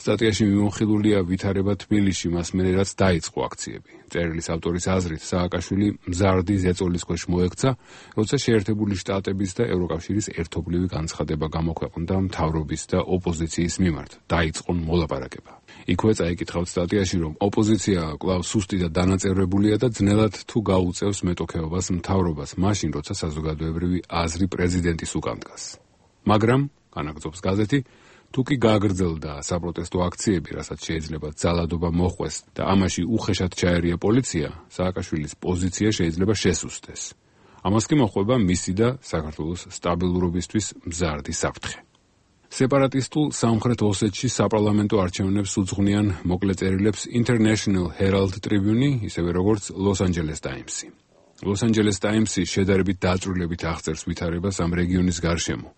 სტატიაში მიმოხილულია ვითარება თბილისში მას მერე რაც დაიწყო აქციები. წერილის ავტორის აზრით, სააკაშვილი მზარდი ზეწოლის ქვეშ მოექცა, როცა შეერთებული შტატების და ევროკავშირის ერთობლივი განცხადება გამოქვეყნდა მთავრობის და ოპოზიციის მიმართ. დაიწყონ მოლაპარაკება. იქვე წაიკითხავთ სტატიაში, რომ ოპოზიცია კვლავ სუსტი და დანაწევრებულია და ძნელად თუ გაუწევს მეტოქეობას მთავრობას, მაშინ როცა საზოგადოებრივი აზრი პრეზიდენტის უკან დგას. მაგრამ, განაგრძობს გაზეთი, თუ კი გააგრძელდა საპროტესტო აქციები, რასაც შეიძლება ძალადობა მოხვეს და ამაში უხეშად ჩაერია პოლიცია, სააკაშვილის პოზიცია შეიძლება შესუსტდეს. ამას კი მოხვება მისი და საქართველოს სტაბილურობისთვის მზარდი საფრთხე. სეპარატისტულ სამხრეთ ოსეთში საპარლამენტო არჩევნებს უძღვნიან მოკლე წერილებს International Herald Tribune, ისევე როგორც Los Angeles Times-ი. Los Angeles Times-ი შედარებით დაწვრილებით აღწერს ვითარებას ამ რეგიონის გარშემო.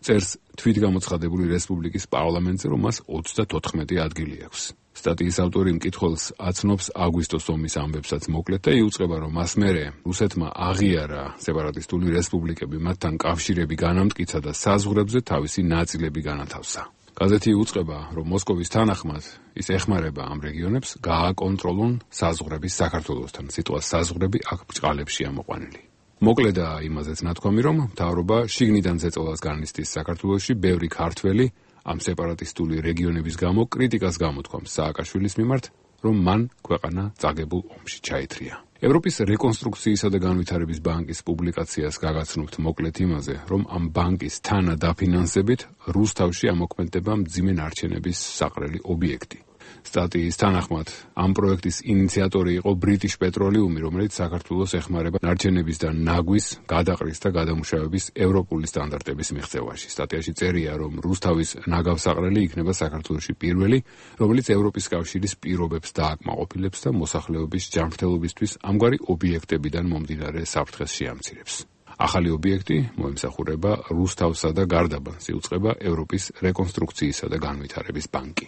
წერს თვითგამოცხადებული რესპუბლიკის პარლამენტზე, რომ მას 34 ადგილი აქვს. სტატიის ავტორი მკითხველს აცნობს აგვისტოს ომის ამბებსაც მოკლედ და იუწყება, რომ მას მერე რუსეთმა აღიარა სეპარატისტული რესპუბლიკები, მათთან კავშირები განამტკიცა და საზღვრებზე თავისი ნაწილები განათავსა. გაზეთი იუწყება, რომ მოსკოვის თანახმად ის ეხმარება ამ რეგიონებს გააკონტროლონ საზღვრების საქართველოსთან. სიტყვა საზღვრები აქ ბრჭყალებშია მოყვანილი. მოკლედა იმაზეც ნათქვამი, რომ მთავრობა შიგნიდან ზეწოლას განიცდის საქართველოში ბევრი ქართველი ამ სეპარატისტული რეგიონების გამო კრიტიკას გამოთქვამს სააკაშვილის მიმართ, რომ მან ქვეყანა წაგებულ ომში ჩაითრია. ევროპის რეკონსტრუქციისა და განვითარების ბანკის პუბლიკაციას გაგაცნობთ მოკლედ იმაზე, რომ ამ ბანკის თანადაფინანსებით რუსთავში ამოქმედება მძიმე ნარჩენების საყრელი ობიექტი. სტატიის თანახმად, ამ პროექტის ინიციატორი იყო British Petroleum, რომელიც საქართველოს ეხმარება ნარჩენების და ნაგვის, გადაყრის და გადამუშავების ევროპული სტანდარტების მიღწევაში. სტატიაში წერია, რომ რუსთავის ნაგავსაყრელი იქნება საქართველოში პირველი, რომელიც ევროპის კავშირის პირობებს დააკმაყოფილებს და მოსახლეობის ჯანმრთელობისთვის ამგვარი ობიექტებიდან მომდინარე საფრთხეს შეამცირებს. ახალი ობიექტი მოემსახურება რუსთავსა და გარდაბანს იუწყება ევროპის რეკონსტრუქციისა და განვითარების ბანკი.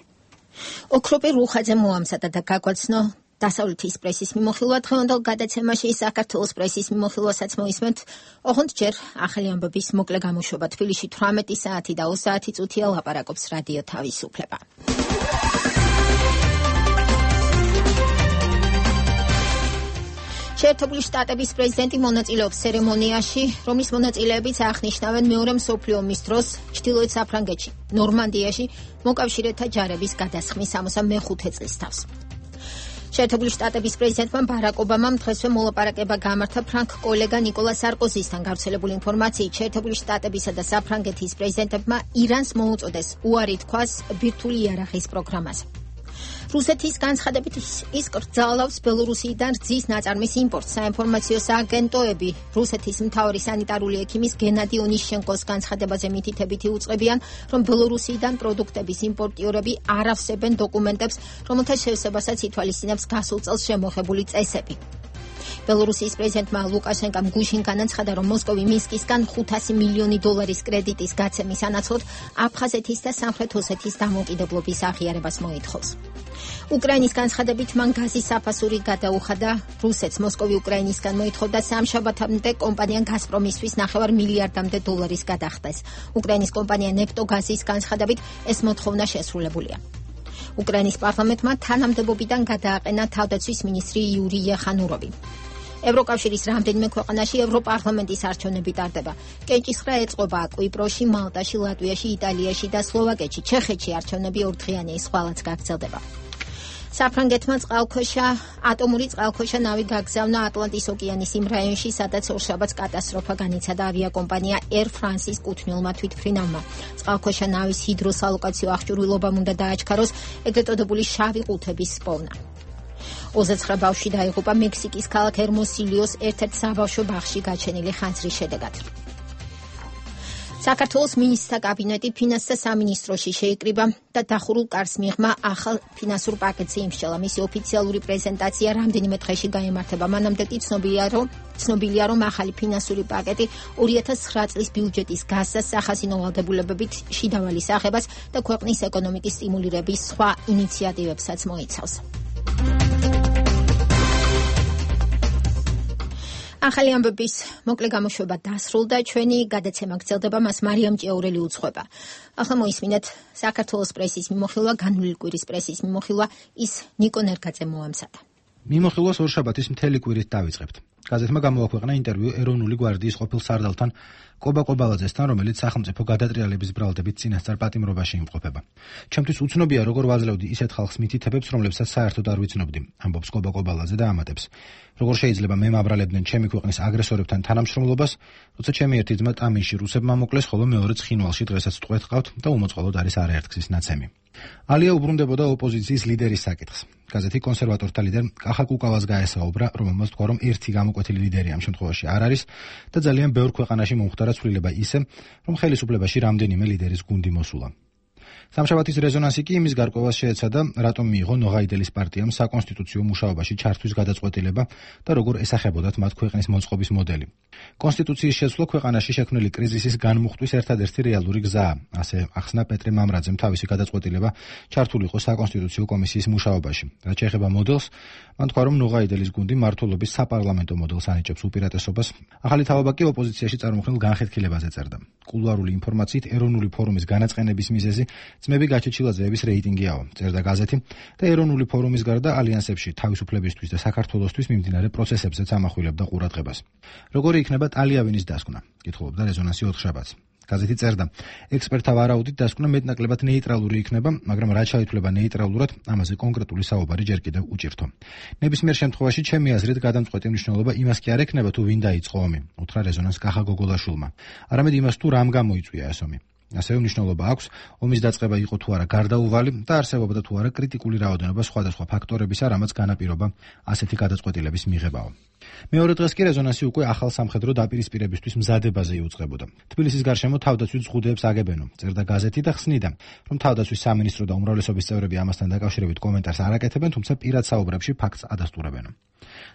ოქროპი რუხაძე მოამზადა და გაგვაცნო დასავლეთის პრესის მიმოხილვა დღევანდელ გადაცემაში საქართველოს პრესის მიმოხილვასაც მოისმენთ. ოღონდ ჯერ ახალი ამბების მოკლე გამოშვება. თბილისში 18 საათი და 20 წუთია ლაპარაკობს რადიო თავისუფლება. შეერთებული შტატების პრეზიდენტი მონაწილეობს ცერემონიაში, რომლის მონაწილეებიც აღნიშნავენ მეორე მსოფლიო ომის დროს ჩრდილოეთ საფრანგეთში, ნორმანდიაში მოკავშირეთა ჯარების გადასხმის 65 წლის თავს. შეერთებული შტატების პრეზიდენტმა ბარაკ ობამამ დღესვე მოლაპარაკება გამართა ფრანგ კოლეგა ნიკოლა სარკოზისთან. გავრცელებული ინფორმაციით, შეერთებული შტატებისა და საფრანგეთის პრეზიდენტებმა ირანს მოუწოდეს უარი თქვას ბირთვული იარაღის პროგრამაზე. რუსეთის განცხადებით ის კრძალავს ბელორუსიდან რძის ნაწარმის იმპორტს. საინფორმაციო სააგენტოები რუსეთის მთავარი სანიტარული ექიმის გენადი ონიშჩენკოს განცხადებაზე მითითებითი უწყებიან, რომ ბელორუსიდან პროდუქტების იმპორტიორები არ ავსებენ დოკუმენტებს, რომელთა შევსებასაც ითვალისწინებს გასულ წელს შემოღებული წესები. ბელორუსიის პრეზიდენტმა ლუკაშენკამ გუშინ განაცხადა, რომ მოსკოვი მინსკისგან 500 მილიონი დოლარის კრედიტის გაცემის ანაცვლოდ აფხაზეთის და სამხრეთ ოსეთის დამოუკიდებლობის აღიარებას მოითხოვს. უკრაინის განცხადებით მან გაზის საფასური გადაუხადა რუსეთს. მოსკოვი უკრაინისგან მოითხოვდა სამშაბათამდე კომპანია გაზპრომისთვის 9 მილიარდამდე დოლარის გადახდეს. უკრაინის კომპანია ნეფტოგაზის განცხადებით ეს მოთხოვნა შესრულებულია. უკრაინის პარლამენტმა თანამდებობიდან გადააყენა თავდაცვის მინისტრი იური ეხანუროვი. ევროკავშირის რამდენიმე ქვეყანაში ევროპარლამენტის არჩევნები ტარდება. კენჭისყრა ეწყობა კვიპროსში, მალტაში, ლატვიაში, იტალიაში და სლოვაკეთში. ჩეხეთში არჩევნები ორდღიანი სხვალაც გაგრძელდება. საფრანგეთმა ატომური წყალქვეშა ნავი გაგზავნა ატლანტის ოკეანის იმ რაიონში, სადაც ორშაბათს კატასტროფა განიცადა ავიაკომპანია Air France-ის კუთვნილმა თვითმფრინავმა. წყალქვეშა ნავის ჰიდროსალოკაციო აღჭურვილობამ უნდა დააჩქაროს ეგრეთ წოდებული შავი ყუთების პოვნა. 29 ბავშვი დაიღუპა მექსიკის ქალაქ ერმოსილიოს ერთ-ერთ საბავშვო ბაღში გაჩენილი ხანძრის შედეგად. საქართველოს მინისტრთა კაბინეტი ფინანსთა სამინისტროში შეიკრიბა და დახურულ კარს მიღმა ახალ ფინანსურ პაკეტზე იმსჯელა. მისი ოფიციალური პრეზენტაცია რამდენიმე დღეში გაიმართება. მანამდე კი ცნობილია, რომ ახალი ფინანსური პაკეტი 2009 წლის ბიუჯეტის გასცას, სახაზინო ვალდებულებებით შიდა ვალის აღებას და ქვეყნის ეკონომიკის სტიმულირების სხვა ინიციატივებსაც მოიცავს. ახალი ამბების მოკლე გამოშვება დასრულდა. ჩვენი გადაცემა გრძელდება, მას მარიამ ჭიაურელი უძღვება. ახლა მოისმინეთ საქართველოს პრესის მიმოხილვა, განვლილი კვირის პრესის მიმოხილვა, ის ნიკო ნერგაძე მოამზადა. მიმოხილვას ორშაბათის მთელი კვირით დავიწყებთ. გაზეთმა გამოაქვეყნა ინტერვიუ ეროვნული გვარდიის ყოფილ სარდალთან კობა კობალაძესთან, რომელიც სახელმწიფო გადატრიალების ბრალდებით წინასწარ პატიმრობაში იმყოფება. ჩემთვის უცნობია, როგორ ვაძლევდი ისეთ ხალხს მითითებებს, რომლებსაც საერთოდ არ ვიცნობდი, ამბობს კობა კობალაძე და ამატებს. როგორ შეიძლება მე მაბრალებდნენ ჩემი ქვეყნის აგრესორებთან თანამშრომლობას, როცა ჩემი ერთი ძმა ტამინში რუსებმა მოკლეს, ხოლო მეორეც ხინვალში დღესაც ტყვეთ ყავთ და უმოწყალოდ არის არაერთგზის ნაცემი. ალია უბრუნდებოდა ოპოზიციის ლიდერის საკითხს. გაზეთი კონსერვატორთა ლიდერ კახა კუკავას გაესაუბრა, რომელმაც თქვა, რომ ერთი გამოკვეთილი ლიდერი ამ შემთხვევაში არ არის და ძალიან ბევრ ქვეყანაში მომხდარა ცვლილება ისე, რომ ხელისუფლებაში რამდენიმე ლიდერის გუნდი მოსულა. სამშაბათის რეზონანსი კი იმის გარკვევას შეეცადა, რატომ მიიღო ნოღაიდელის პარტიამ საკონსტიტუციო მუშაობაში ჩართვის გადაწყვეტილება და როგორ ესახებოდათ მათ ქვეყნის მოწყობის მოდელი. კონსტიტუციის შეცვლა ქვეყანაში შექმნილი კრიზისის განმუხტვის ერთადერთი რეალური გზაა, ასე ახსნა პეტრე მამრაძემ თავისი გადაწყვეტილება ჩართულიყო საკონსტიტუციო კომისიის მუშაობაში. რაც შეეხება მოდელს, მან თქვა, რომ ნოღაიდელის გუნდი მმართველობის საპარლამენტო მოდელს ანიჭებს უპირატესობას. ახალი თავობა კი ოპოზიციაში წარმოქმნილ განხეთქილებაზე წერდა. კულუარული ინფორმაციით ეროვნული ფორუმის განაწყენების მიზეზი ძმები გაჩეჩილაძეების რეიტინგიაო, წერდა გაზეთი და ეროვნული ფორუმის გარდა ალიანსებში თავისუფლებისთვის და საქართველოსთვის მიმდინარე პროცესებზეც ამახვილებდა ყურადღებას. როგორი იქნება ტალიავინის დასკვნა? კითხულობდა რეზონანსი 4 შაბათს. გაზეთი წერდა: ექსპერტთა ვარაუდით დასკვნა მეტნაკლებად ნეიტრალური იქნება, მაგრამ რა ჩაითვლება ნეიტრალურად, ამაზე კონკრეტული საუბარი ჯერ კიდევ უჭირთო. ნებისმიერ შემთხვევაში ჩემი აზრით გადამწყვეტი მნიშვნელობა იმას კი არ ექნება, თუ ვინ დაიწყო ომი, უთხრა რეზონანს კახა გოგოლაშვილმა. არამედ იმას, თუ რამ გამოიწვია ეს ომი. ასევე მნიშვნელობა აქვს ომის დაწყება იყო თუ არა გარდაუვალი და არსებობდა თუ არა კრიტიკული რაოდენობა სხვადასხვა ფაქტორებისა, რამაც განაპირობა ასეთი გადაწყვეტილების მიღებაო. მეორე დღეს კი რეზონანსი უკვე ახალ სამხედრო დაპირისპირებისთვის მზადებაზე იუწყებოდა. თბილისის გარშემო თავდაცვის ზღუდეებს აგებენო, წერდა გაზეთი და ხსნიდა, რომ თავდაცვის სამინისტრო და უმრავლესობის წევრები ამასთან დაკავშირებით კომენტარს არ აკეთებენ, თუმცა პირად საუბრებში ფაქტს ადასტურებენ.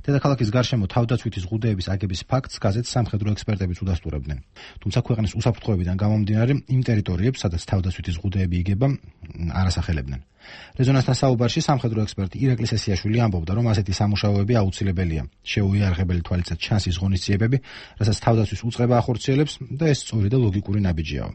დედაქალაქის გარშემო თავდაცვითი ზღუდეების აგების ფაქტს გაზეთს სამხედრო ექსპერტებიც უდასტურებდნენ. თუმცა ქვეყნის უსაფრთხოებიდან გამომდინარე იმ ტერიტორიებს, სადაც თავდაცვითი ზღუდეები იგება, არ ასახელებდნენ. რეზონანსთან საუბარში სამხედრო ექსპერტი ირაკლი სესიაშვილი ამბობდა, რომ ასეთი სამუშაოები აუცილებელია. შეუიარაღებელი თვალისწინებით ჩანს ის ღონისძიებები, რასაც თავდაცვის უწყება ახორციელებს და ეს სწორი და ლოგიკური ნაბიჯიაო.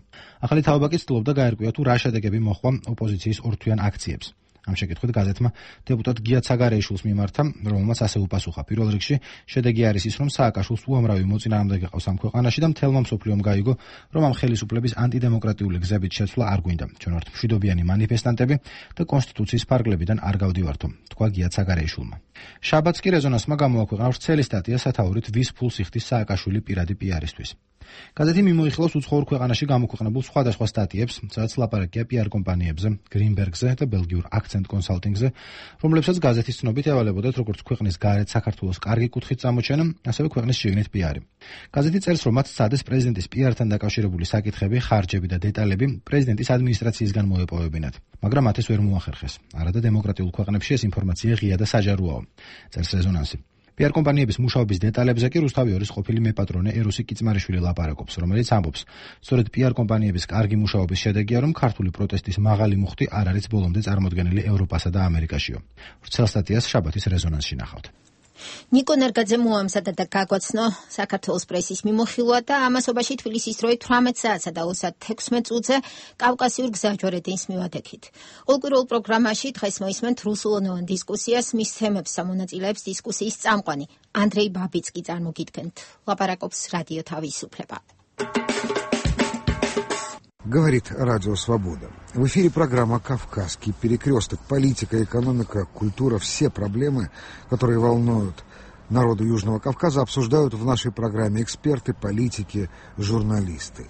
ახალი თაობა კი ცდილობდა გაერკვია, თუ რა შედეგები მოჰყვა ოპოზიციის ორთვიან აქციებს. ამ შეკითხვით გაზეთმა დეპუტატ გია ცაგარეიშვილს მიმართა, რომელმაც ასე უპასუხა: პირველ რიგში შედეგი არის ის, რომ სააკაშვილს უამრავი მოწინააღმდეგე ყავს ამ ქვეყანაში და მთელმა მსოფლიომ გაიგო, რომ ამ ხელისუფლების ანტიდემოკრატიული გზებით შეცვლა არ გვინდა. ჩვენ ვართ მშვიდობიანი მანიფესტანტები და კონსტიტუციის ფარგლებიდან არ გავდივართო, თქვა გია ცაგარეიშვილმა. შაბათს კი რეზონანსმა გამოაქვეყნა ვრცელი სტატია სათაურით ვის ფულს იხდის სააკაშვილი პირადი პიარისთვის. გაზეთი მიმოიხილავს უცხოურ ქვეყანაში გამოქვეყნებულ სხვადასხვა სტატიებს, სადაც ლაპარაკია პიარ კომპანიებზე, გრინბერგზე და ბელგიურ აქცენტ კონსალტინგზე, რომლებსაც გაზეთის ცნობით ევალებოდათ როგორც ქვეყნის გარეთ საქართველოს კარგი კუთხით წამოჩენა, ასევე ქვეყნის შიგნით პიარი. გაზეთი წერს, რომ მათ სცადეს პრეზიდენტის პიართან დაკავშირებული საკითხები, ხარჯები და დეტალები პრეზიდენტის ადმინისტრაციისგან მოეპოვებინათ, მაგრამ მათ ეს ვერ მოახერხეს. არადა დემოკრატიულ ქვეყნებში ეს ინფორმაცია ღია და საჯაროა, წერს რეზონანსი. პიარ კომპანიების მუშაობის დეტალებზე კი რუსთავი ორის ყოფილი მეპატრონე ერუსი კიწმარიშვილი ლაპარაკობს, რომელიც ამბობს, სწორედ პიარ კომპანიების კარგი მუშაობის შედეგია, რომ ქართული პროტესტის მაღალი მუხტი არ არის ბოლომდე წარმოდგენილი ევროპასა და ამერიკაშიო. ვრცელ სტატიას შაბათის რეზონანსში ნახავთ. ნიკო ნერგაძე მოამზადა და გაგვაცნო საქართველოს პრესის მიმოხილვა და ამასობაში თბილისის დროით 18 საათსა და 36 წუთზე კავკასიურ გზაჯვარედინს მივადგეთ. ყოველკვირეულ პროგრამაში დღეს მოისმენთ რუსულენოვან დისკუსიას, მის თემებს ამონაწილეებს დისკუსიის წამყვანი ანდრეი ბაბიცკი წარმოგიდგენთ. ლაპარაკობს რადიო თავისუფლება. Говорит Радио Свобода. В эфире программа «Кавказский перекресток». Политика, экономика, культура, все проблемы, которые волнуют народу Южного Кавказа, обсуждают в нашей программе эксперты, политики, журналисты.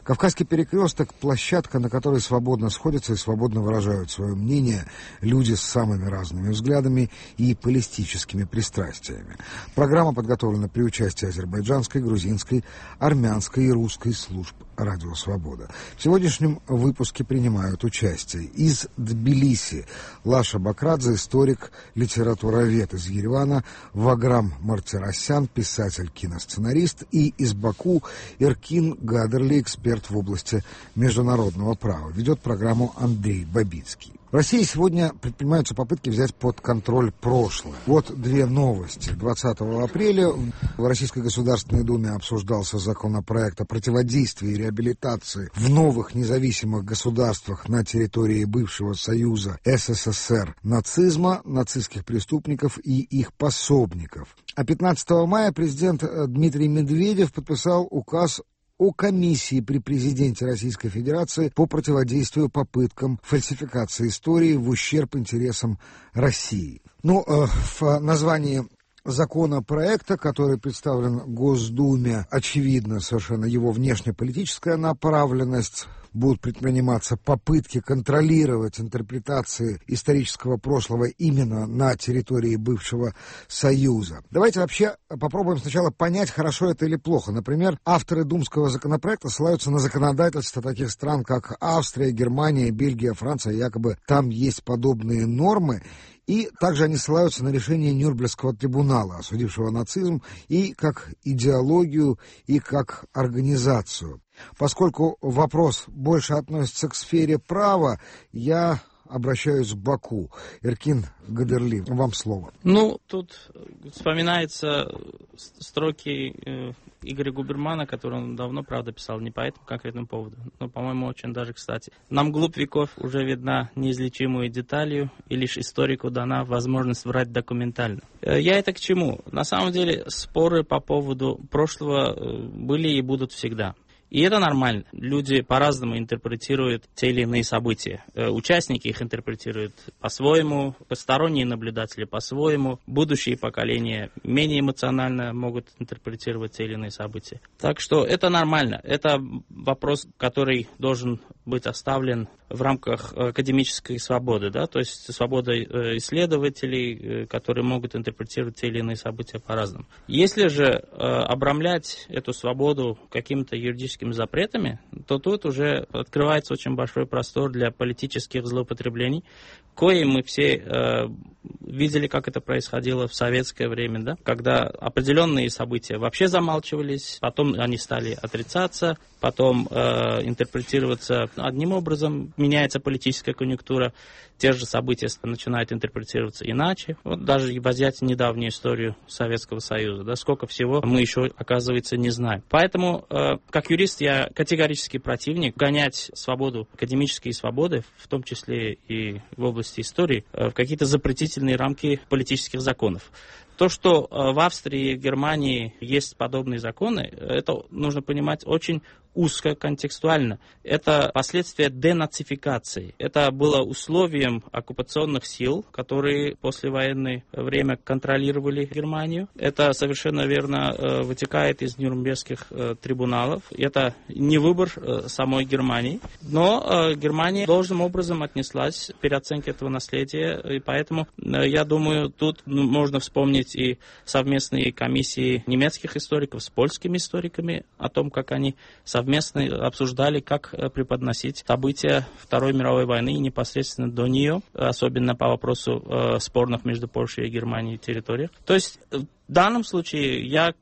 Кавказский перекресток – площадка, на которой свободно сходятся и свободно выражают свое мнение люди с самыми разными взглядами и политическими пристрастиями. Программа подготовлена при участии азербайджанской, грузинской, армянской и русской служб «Радио Свобода». В сегодняшнем выпуске принимают участие из Тбилиси Лаша Бакрадзе, историк, литературовед из Еревана, Ваграм Мартиросян, писатель, киносценарист, и из Баку Эркин Гадерли, эксперт в области международного права. Ведет программу Андрей Бабицкий. В России сегодня предпринимаются попытки взять под контроль прошлое. Вот две новости. 20 апреля в Российской Государственной Думе обсуждался законопроект о противодействии и реабилитации в новых независимых государствах на территории бывшего Союза СССР нацизма, нацистских преступников и их пособников. А 15 мая президент Дмитрий Медведев подписал указ о комиссии при президенте Российской Федерации по противодействию попыткам фальсификации истории в ущерб интересам России. В названии законопроекта, который представлен Госдуме, очевидно совершенно его внешнеполитическая направленность. Будут предприниматься попытки контролировать интерпретации исторического прошлого именно на территории бывшего Союза. Давайте вообще попробуем сначала понять, хорошо это или плохо. Например, авторы думского законопроекта ссылаются на законодательство таких стран, как Австрия, Германия, Бельгия, Франция. Якобы там есть подобные нормы. И также они ссылаются на решение Нюрнбергского трибунала, осудившего нацизм и как идеологию, и как организацию. Поскольку вопрос больше относится к сфере права, я обращаюсь к Баку. Эркин Гадерли, вам слово. Тут вспоминаются строки Игоря Губермана, который он давно, правда, писал не по этому конкретному поводу, но, по-моему, очень даже кстати. Нам глубь веков уже видна неизлечимую деталью, и лишь историку дана возможность врать документально. Я это к чему? На самом деле споры по поводу прошлого были и будут всегда. И это нормально. Люди по-разному интерпретируют те или иные события. Участники их интерпретируют по-своему, посторонние наблюдатели по-своему, будущие поколения менее эмоционально могут интерпретировать те или иные события. Так что это нормально. Это вопрос, который должен быть оставлен в рамках академической свободы, да, то есть свобода исследователей, которые могут интерпретировать те или иные события по-разному. Если же обрамлять эту свободу какими-то юридическими запретами, то тут уже открывается очень большой простор для политических злоупотреблений, кое мы все видели, как это происходило в советское время, да, когда определенные события вообще замалчивались, потом они стали отрицаться, потом интерпретироваться одним образом, меняется политическая конъюнктура, те же события начинают интерпретироваться иначе. Вот даже взять недавнюю историю Советского Союза, да, сколько всего мы еще, оказывается, не знаем. Поэтому, как юрист, я категорически противник гонять свободу, академические свободы, в том числе и в области истории, в какие-то запретительные рамки политических законов. То, что в Австрии и Германии есть подобные законы, это нужно понимать очень узко, контекстуально. Это последствия денацификации. Это было условием оккупационных сил, которые послевоенное время контролировали Германию. Это совершенно верно вытекает из Нюрнбергских трибуналов. Это не выбор самой Германии, но Германия должным образом отнеслась к переоценке этого наследия, и поэтому, я думаю, тут можно вспомнить и совместные комиссии немецких историков с польскими историками о том, как они совместно обсуждали, как преподносить события Второй мировой войны и непосредственно до нее, особенно по вопросу спорных между Польшей и Германией территориях. То есть в данном случае я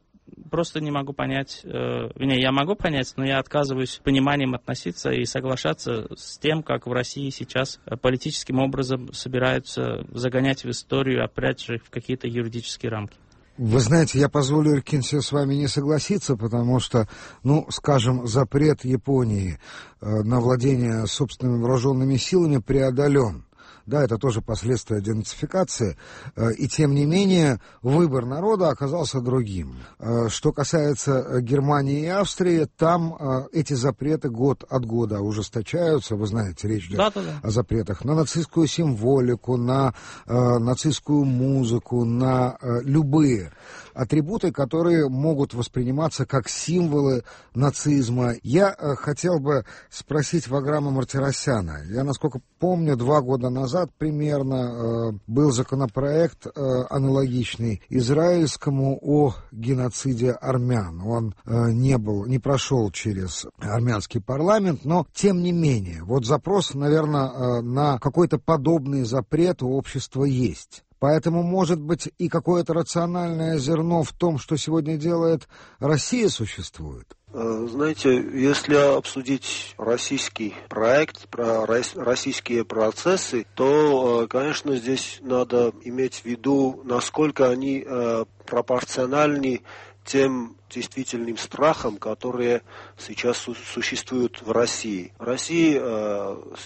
просто не могу понять, я могу понять, но я отказываюсь пониманием относиться и соглашаться с тем, как в России сейчас политическим образом собираются загонять в историю, опять же, в какие-то юридические рамки. Вы знаете, я позволю, Иркинсе, с вами не согласиться, потому что, скажем, запрет Японии на владение собственными вооруженными силами преодолен. Да, это тоже последствия денацификации, и тем не менее выбор народа оказался другим. Что касается Германии и Австрии, там эти запреты год от года ужесточаются, вы знаете, речь идет о запретах на нацистскую символику, на нацистскую музыку, на любые атрибуты, которые могут восприниматься как символы нацизма. Я хотел бы спросить Ваграма Мартиросяна. Я, насколько помню, 2 года назад примерно был законопроект аналогичный израильскому о геноциде армян. Он не прошел через армянский парламент, но тем не менее, вот запрос, наверное, на какой-то подобный запрет у общества есть. Поэтому, может быть, и какое-то рациональное зерно в том, что сегодня делает Россия, существует? Знаете, если обсудить российский проект, российские процессы, то, конечно, здесь надо иметь в виду, насколько они пропорциональны тем действительным страхам, которые сейчас существуют в России. В России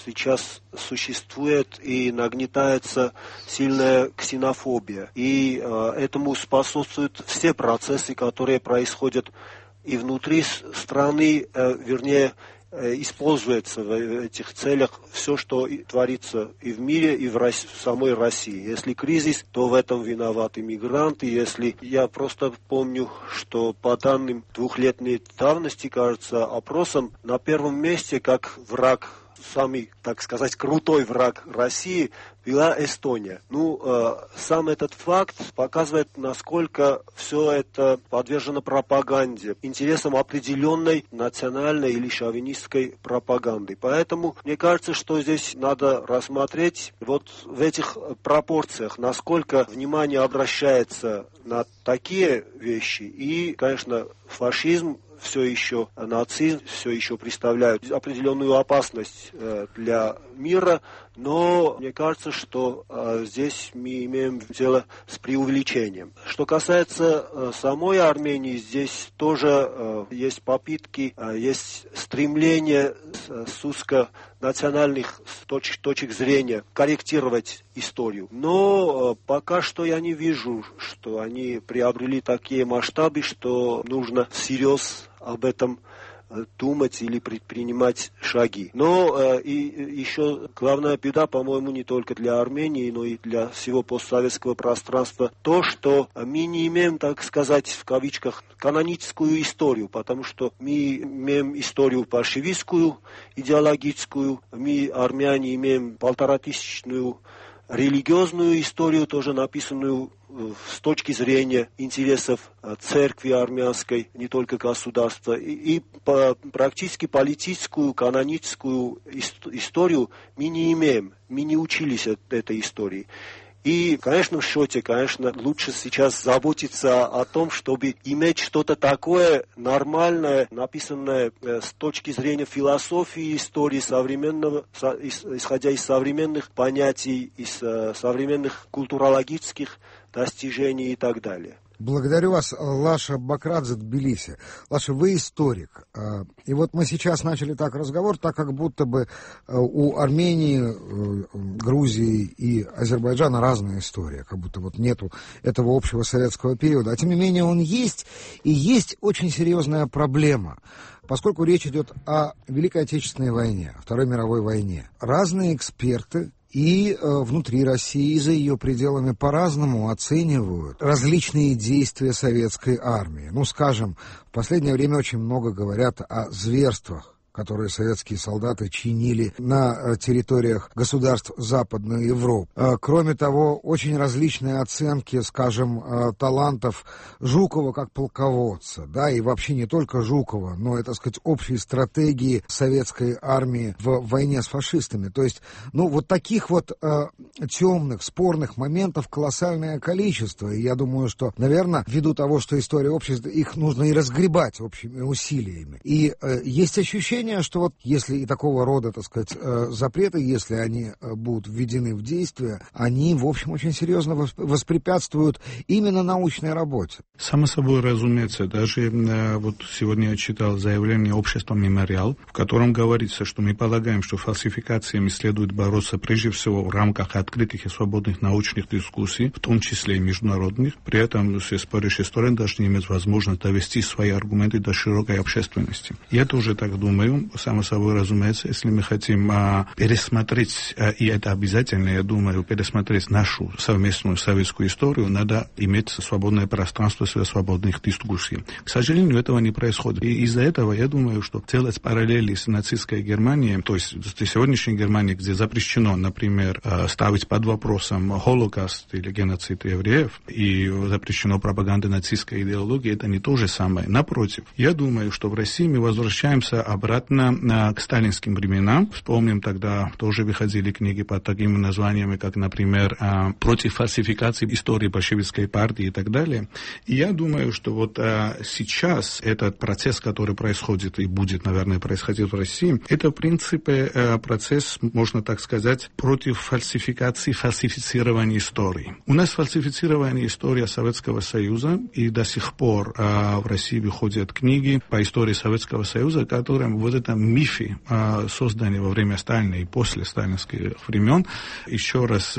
сейчас существует и нагнетается сильная ксенофобия. И этому способствуют все процессы, которые происходят и внутри страны, вернее, используется в этих целях все, что творится и в мире, и в самой России. Если кризис, то в этом виноваты мигранты. Если я просто помню, что по данным 2-летней давности, кажется, опросом на первом месте как враг, самый, так сказать, крутой враг России была Эстония. Сам этот факт показывает, насколько все это подвержено пропаганде, интересам определенной национальной или шовинистской пропаганды. Поэтому мне кажется, что здесь надо рассмотреть вот в этих пропорциях, насколько внимание обращается на такие вещи. И, конечно, фашизм, все еще нацизм, все еще представляют определенную опасность для мира, но мне кажется, что здесь мы имеем дело с преувеличением. Что касается самой Армении, здесь тоже есть попытки, есть стремление с узконациональных точек зрения корректировать историю. Но пока что я не вижу, что они приобрели такие масштабы, что нужно всерьез об этом думать или предпринимать шаги. Но и еще главная беда, по-моему, не только для Армении, но и для всего постсоветского пространства, то, что мы не имеем, так сказать, в кавычках, каноническую историю, потому что мы имеем историю большевистскую, идеологическую, мы, армяне, имеем 1500-тысячную религиозную историю, тоже написанную с точки зрения интересов церкви армянской, не только государства, и практически политическую, каноническую историю мы не имеем, мы не учились этой истории. И, конечно, в счете, конечно, лучше сейчас заботиться о том, чтобы иметь что-то такое нормальное, написанное с точки зрения философии, истории современного, исходя из современных понятий, из современных культурологических достижений и так далее. Благодарю вас, Лаша Бакрадзе, Тбилиси. Лаша, вы историк. И вот мы сейчас начали так разговор, так как будто бы у Армении, Грузии и Азербайджана разная история, как будто вот нету этого общего советского периода. А тем не менее он есть, и есть очень серьезная проблема. Поскольку речь идет о Великой Отечественной войне, Второй мировой войне. Разные эксперты и внутри России, и за ее пределами по-разному оценивают различные действия советской армии. Ну, скажем, в последнее время очень много говорят о зверствах, которые советские солдаты чинили на территориях государств Западной Европы. Кроме того, очень различные оценки, скажем, талантов Жукова как полководца, да, и вообще не только Жукова, но, так сказать, общей стратегии советской армии в войне с фашистами. То есть, ну, вот таких вот темных, спорных моментов колоссальное количество. И я думаю, что, наверное, ввиду того, что история общества, их нужно и разгребать общими усилиями. И есть ощущение, что вот если и такого рода, так сказать, запреты, если они будут введены в действие, они, в общем, очень серьезно воспрепятствуют именно научной работе. Само собой разумеется, даже вот сегодня я читал заявление общества «Мемориал», в котором говорится, что мы полагаем, что фальсификациями следует бороться прежде всего в рамках открытых и свободных научных дискуссий, в том числе и международных. При этом все спорящие стороны должны иметь возможность довести свои аргументы до широкой общественности. Я тоже так думаю. Само собой разумеется, если мы хотим пересмотреть, и это обязательно, я думаю, пересмотреть нашу совместную советскую историю, надо иметь свободное пространство для свободных дискуссий. К сожалению, этого не происходит. И из-за этого я думаю, что делать параллели с нацистской Германией, то есть с сегодняшней Германией, где запрещено, например, ставить под вопросом Холокост или геноцид евреев, и запрещено пропаганда нацистской идеологии, это не то же самое. Напротив, я думаю, что в России мы возвращаемся обратно к сталинским временам. Вспомним, тогда тоже выходили книги под такими названиями, как, например, «Против фальсификации истории большевистской партии» и так далее. И я думаю, что вот сейчас этот процесс, который происходит и будет, наверное, происходить в России, это, в принципе, процесс, можно так сказать, против фальсификации, фальсифицирования истории. У нас фальсифицирована история Советского Союза, и до сих пор в России выходят книги по истории Советского Союза, которые вот это мифы, созданные во время Сталина и после сталинских времен, еще раз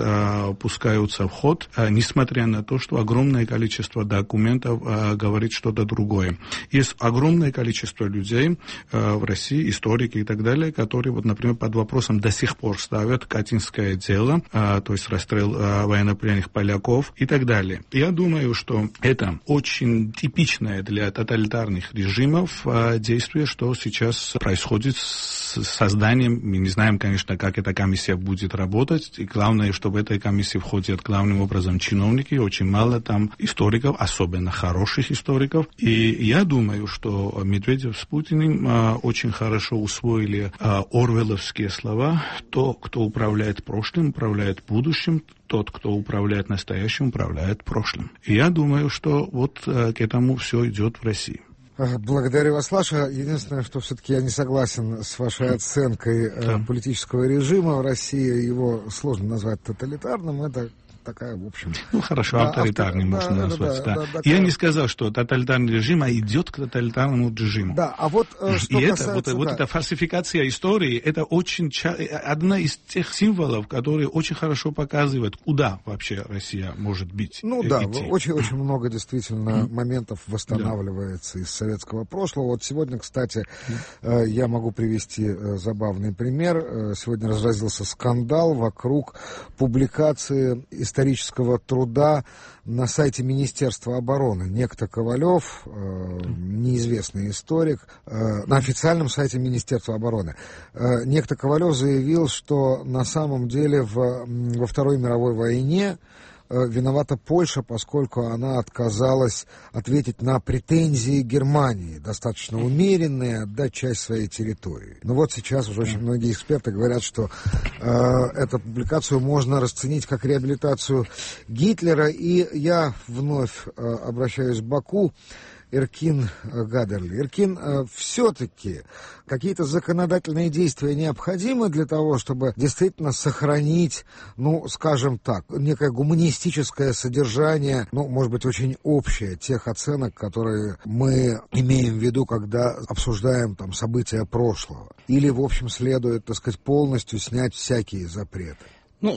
пускаются в ход, несмотря на то, что огромное количество документов говорит что-то другое. Есть огромное количество людей в России, историки и так далее, которые, вот, например, под вопросом до сих пор ставят Катинское дело, то есть расстрел военнопленных поляков и так далее. Я думаю, что это очень типичное для тоталитарных режимов действие, что сейчас происходит с созданием. Мы не знаем, конечно, как эта комиссия будет работать. И главное, что в этой комиссии входят главным образом чиновники. Очень мало там историков, особенно хороших историков. И я думаю, что Медведев с Путиным очень хорошо усвоили орвелловские слова. Тот, кто управляет прошлым, управляет будущим. Тот, кто управляет настоящим, управляет прошлым. И я думаю, что вот к этому все идет в России. Благодарю вас, Лаша. Единственное, что все-таки я не согласен с вашей оценкой политического режима в России. Его сложно назвать тоталитарным. Это такая, в общем... Хорошо, авторитарный можно назвать, да. Я не сказал, что тоталитарный режим, а идет к тоталитарному режиму. Да, а вот что касается... Вот эта фальсификация истории, это очень одна из тех символов, которые очень хорошо показывают, куда вообще Россия может быть. Очень много действительно моментов восстанавливается из советского прошлого. Вот сегодня, кстати, я могу привести забавный пример. Сегодня разразился скандал вокруг публикации исторического труда на сайте Министерства обороны. Некто Ковалев, неизвестный историк, на официальном сайте Министерства обороны. Некто Ковалев заявил, что на самом деле во Второй мировой войне виновата Польша, поскольку она отказалась ответить на претензии Германии, достаточно умеренные, отдать часть своей территории. Но вот сейчас уже очень многие эксперты говорят, что эту публикацию можно расценить как реабилитацию Гитлера. И я вновь обращаюсь к Баку. Эркин Гадерли. Эркин, все-таки какие-то законодательные действия необходимы для того, чтобы действительно сохранить, скажем так, некое гуманистическое содержание, может быть, очень общее тех оценок, которые мы имеем в виду, когда обсуждаем там события прошлого. Или, в общем, следует, так сказать, полностью снять всякие запреты.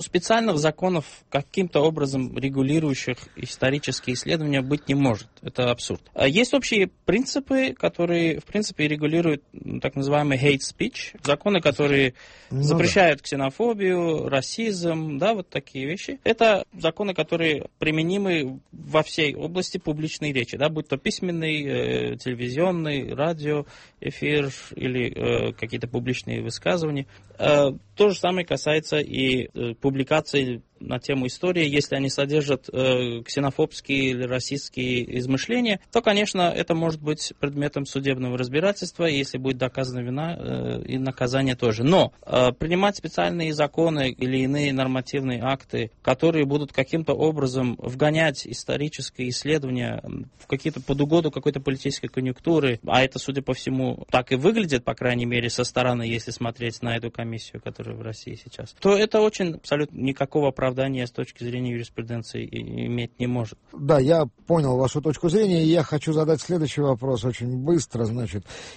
Специальных законов, каким-то образом регулирующих исторические исследования, быть не может. Это абсурд. Есть общие принципы, которые, в принципе, регулируют так называемый hate speech, законы, которые запрещают ксенофобию, расизм, вот такие вещи. Это законы, которые применимы во всей области публичной речи, будь то письменный, телевизионный, радио, эфир или какие-то публичные высказывания. То же самое касается и публикаций на тему истории. Если они содержат ксенофобские или расистские измышления, то, конечно, это может быть предметом судебного разбирательства, если будет доказана вина, и наказание тоже. Но принимать специальные законы или иные нормативные акты, которые будут каким-то образом вгонять исторические исследования в какие-то под угоду какой-то политической конъюнктуры, а это, судя по всему, так и выглядит, по крайней мере, со стороны, если смотреть на эту комиссию, которая в России сейчас, то это очень абсолютно никакого оправдания с точки зрения юриспруденции иметь не может. Да, я понял вашу точку зрения, и я хочу задать следующий вопрос очень быстро,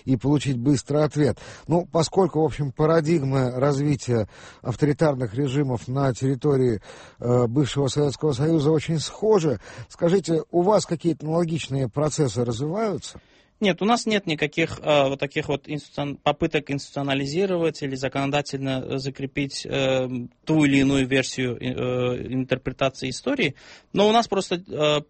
и получить быстрый ответ. Поскольку, в общем, парадигмы развития авторитарных режимов на территории бывшего Советского Союза очень схожи, скажите, у вас какие-то аналогичные процессы развиваются? Нет, у нас нет никаких таких попыток институционализировать или законодательно закрепить ту или иную версию интерпретации истории, но у нас просто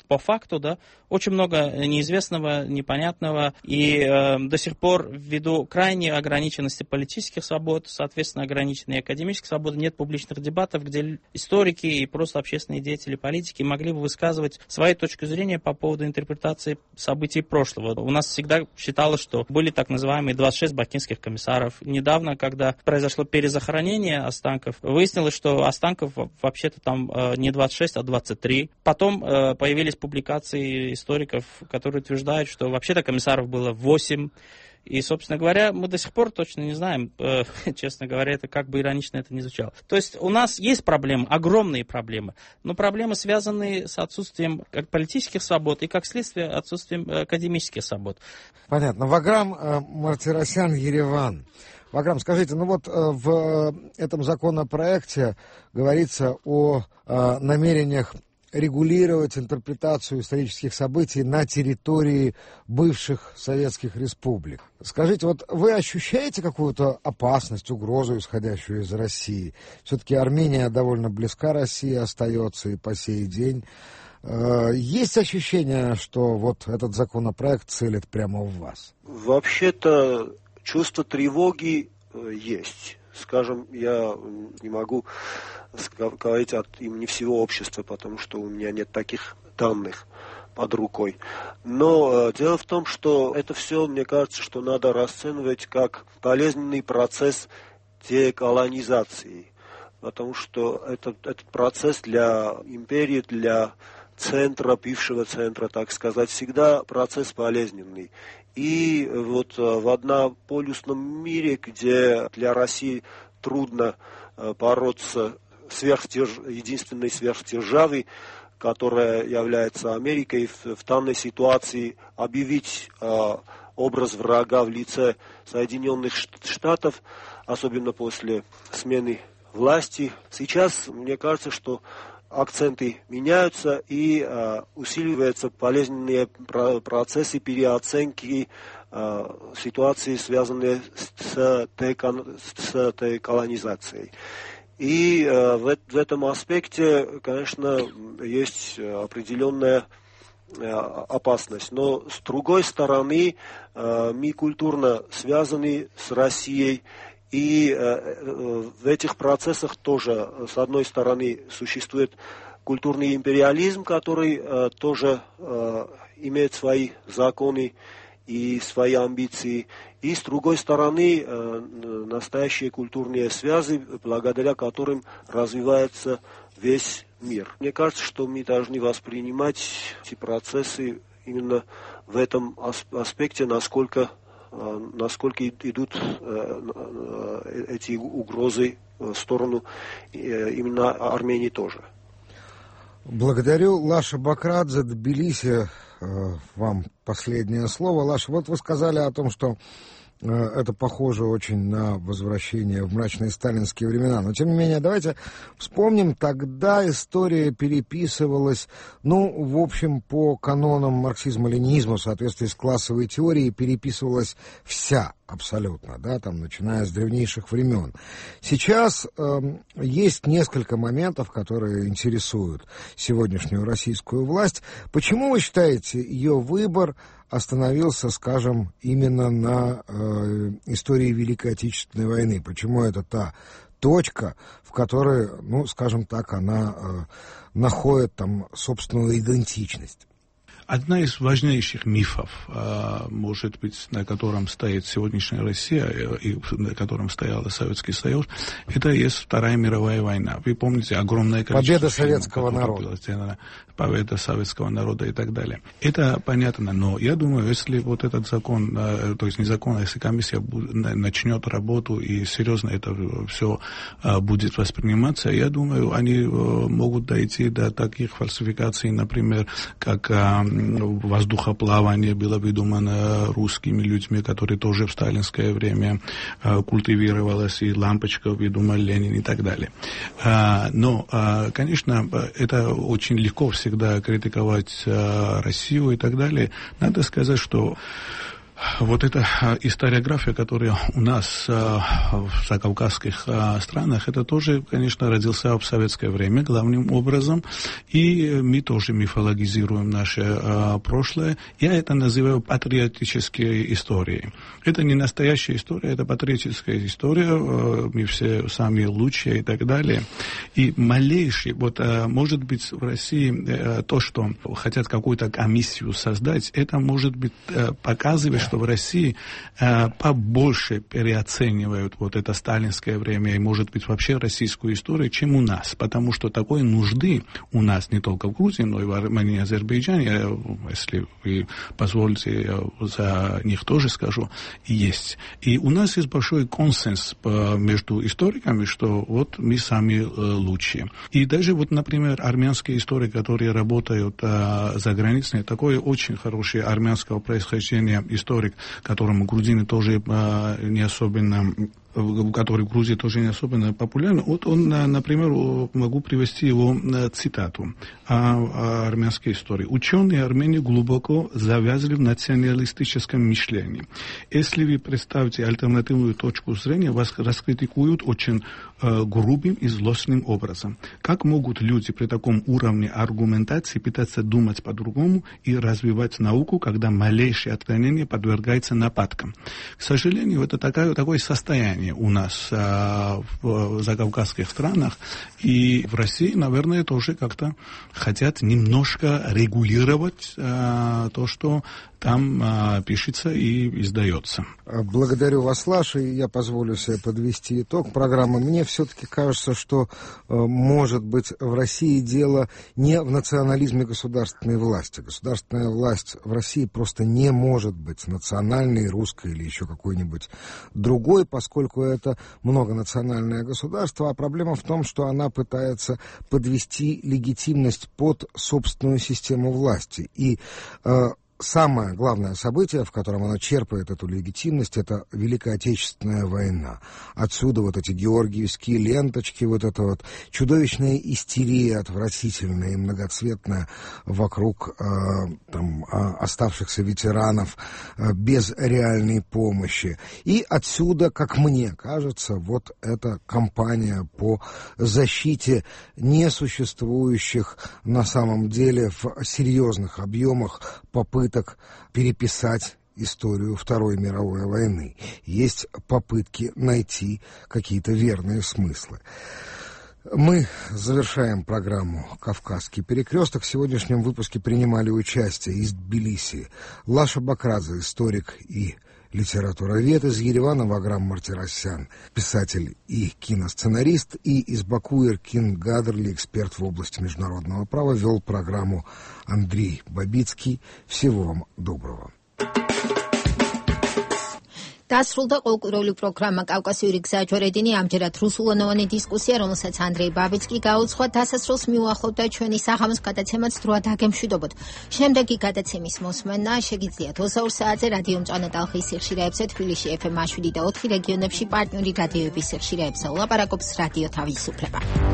по факту, очень много неизвестного, непонятного, и до сих пор ввиду крайней ограниченности политических свобод, соответственно, ограниченной академической свободы, нет публичных дебатов, где историки и просто общественные деятели политики могли бы высказывать свою точку зрения по поводу интерпретации событий прошлого. У нас всегда считалось, что были так называемые 26 бакинских комиссаров. Недавно, когда произошло перезахоронение останков, выяснилось, что останков вообще-то там не 26, а 23. Потом появились публикации историков, которые утверждают, что вообще-то комиссаров было 8. И, собственно говоря, мы до сих пор точно не знаем, честно говоря, это как бы иронично это ни звучало. То есть у нас есть проблемы, огромные проблемы, но проблемы, связанные с отсутствием как политических свобод и, как следствие, отсутствием академических свобод. Понятно. Ваграм Мартиросян, Ереван. Ваграм, скажите, в этом законопроекте говорится о намерениях регулировать интерпретацию исторических событий на территории бывших советских республик. Скажите, вы ощущаете какую-то опасность, угрозу, исходящую из России? Все-таки Армения довольно близка России остается и по сей день. Есть ощущение, что этот законопроект целит прямо в вас? Вообще-то чувство тревоги есть. Скажем, я не могу говорить от имени всего общества, потому что у меня нет таких данных под рукой. Но дело в том, что это все, мне кажется, что надо расценивать как болезненный процесс деколонизации. Потому что этот процесс для империи, для центра, бывшего центра, так сказать, всегда процесс болезненный. И в однополюсном мире, где для России трудно бороться единственной сверхдержавы, которая является Америкой, в данной ситуации объявить образ врага в лице Соединенных Штатов, особенно после смены власти. Сейчас, мне кажется, что акценты меняются и усиливаются болезненные процессы переоценки ситуации, связанные с деколонизацией. И в этом аспекте, конечно, есть определенная опасность. Но с другой стороны, мы культурно связаны с Россией. И в этих процессах тоже, с одной стороны, существует культурный империализм, который тоже имеет свои законы и свои амбиции. И с другой стороны, настоящие культурные связи, благодаря которым развивается весь мир. Мне кажется, что мы должны воспринимать эти процессы именно в этом аспекте, насколько идут эти угрозы в сторону именно Армении тоже. Благодарю. Лаша Бакрадзе, Тбилиси, вам последнее слово. Лаша, вот вы сказали о том, что это похоже очень на возвращение в мрачные сталинские времена. Но, тем не менее, давайте вспомним, тогда история переписывалась, в общем, по канонам марксизма-ленинизма, в соответствии с классовой теорией, переписывалась вся абсолютно, начиная с древнейших времен. Сейчас есть несколько моментов, которые интересуют сегодняшнюю российскую власть. Почему вы считаете, ее выбор остановился, скажем, именно на истории Великой Отечественной войны? Почему это та точка, в которой, скажем так, она находит там собственную идентичность? Одна из важнейших мифов, может быть, на котором стоит сегодняшняя Россия и на котором стоял Советский Союз, это и есть Вторая мировая война. Вы помните огромное количество победа советского народа. Победа советского народа и так далее. Это понятно, но я думаю, если вот этот закон, то есть не закон, а если комиссия начнет работу и серьезно это все будет восприниматься, я думаю, они могут дойти до таких фальсификаций, например, как воздухоплавание было придумано русскими людьми, которые тоже в сталинское время культивировалось, и лампочка придумал Ленин и так далее. Но, конечно, это очень легко всегда критиковать Россию и так далее. Надо сказать, что вот эта историография, которая у нас в закавказских странах, это тоже, конечно, родился в советское время главным образом, и мы тоже мифологизируем наше прошлое. Я это называю патриотической историей. Это не настоящая история, это патриотическая история, мы все самые лучшие и так далее. И малейший, может быть, в России то, что хотят какую-то комиссию создать, это может быть показывает, что в России побольше переоценивают вот это сталинское время и, может быть, вообще российскую историю, чем у нас. Потому что такой нужды у нас не только в Грузии, но и в Армении и Азербайджане, если вы позволите, я за них тоже скажу, есть. И у нас есть большой консенс между историками, что вот мы сами лучшие. И даже например, армянские историки, которые работают за границей, такой очень хороший армянского происхождения историк, которому грузины тоже не особенно, который в Грузии тоже не особенно популярен. Вот он, например, могу привести его цитату о армянской истории. Ученые Армении глубоко завязли в националистическом мышлении. Если вы представите альтернативную точку зрения, вас раскритикуют очень грубым и злостным образом. Как могут люди при таком уровне аргументации пытаться думать по-другому и развивать науку, когда малейшее отклонение подвергается нападкам? К сожалению, это такое состояние у нас в закавказских странах, и в России, наверное, тоже как-то хотят немножко регулировать то, что там пишется и издается. Благодарю вас, Лаша, и я позволю себе подвести итог программы. Мне все-таки кажется, что, может быть, в России дело не в национализме государственной власти. Государственная власть в России просто не может быть национальной, русской или еще какой-нибудь другой, поскольку это многонациональное государство, а проблема в том, что она пытается подвести легитимность под собственную систему власти. И самое главное событие, в котором она черпает эту легитимность, это Великая Отечественная война. Отсюда вот эти георгиевские ленточки, вот эта вот чудовищная истерия, отвратительная и многоцветная вокруг оставшихся ветеранов без реальной помощи. И отсюда, как мне кажется, вот эта кампания по защите несуществующих на самом деле в серьезных объемах попыток переписать историю Второй мировой войны. Есть попытки найти какие-то верные смыслы. Мы завершаем программу «Кавказский перекресток». В сегодняшнем выпуске принимали участие из Тбилиси Лаша Бакрадзе, историк и литературовед, из Еревана Ваграм Мартиросян, писатель и киносценарист, и из Баку Эркин Гадерли, эксперт в области международного права, вел программу Андрей Бабицкий. Всего вам доброго. დასრულდა ყოლკურული პროგრამა კავკასიური გზაჯვარედინი, ამჯერად რუსულენოვანი დისკუსია, რომელსაც ანდრეი ბაბიცკი გაუძღვა, დასასრულს მიუახლოვდა ჩვენი საღამოს გადაცემაც დროა დაგემშვიდობოთ. შემდეგი გადაცემის მოსმენა შეგიძლიათ 22 საათზე რადიო მწვანე ტალღის სიხშირეებზე, თბილისში FM 7 და 4 რეგიონებში პარტნიორი რადიოების სიხშირეებზე. ლაპარაკობს რადიო თავისუფლება.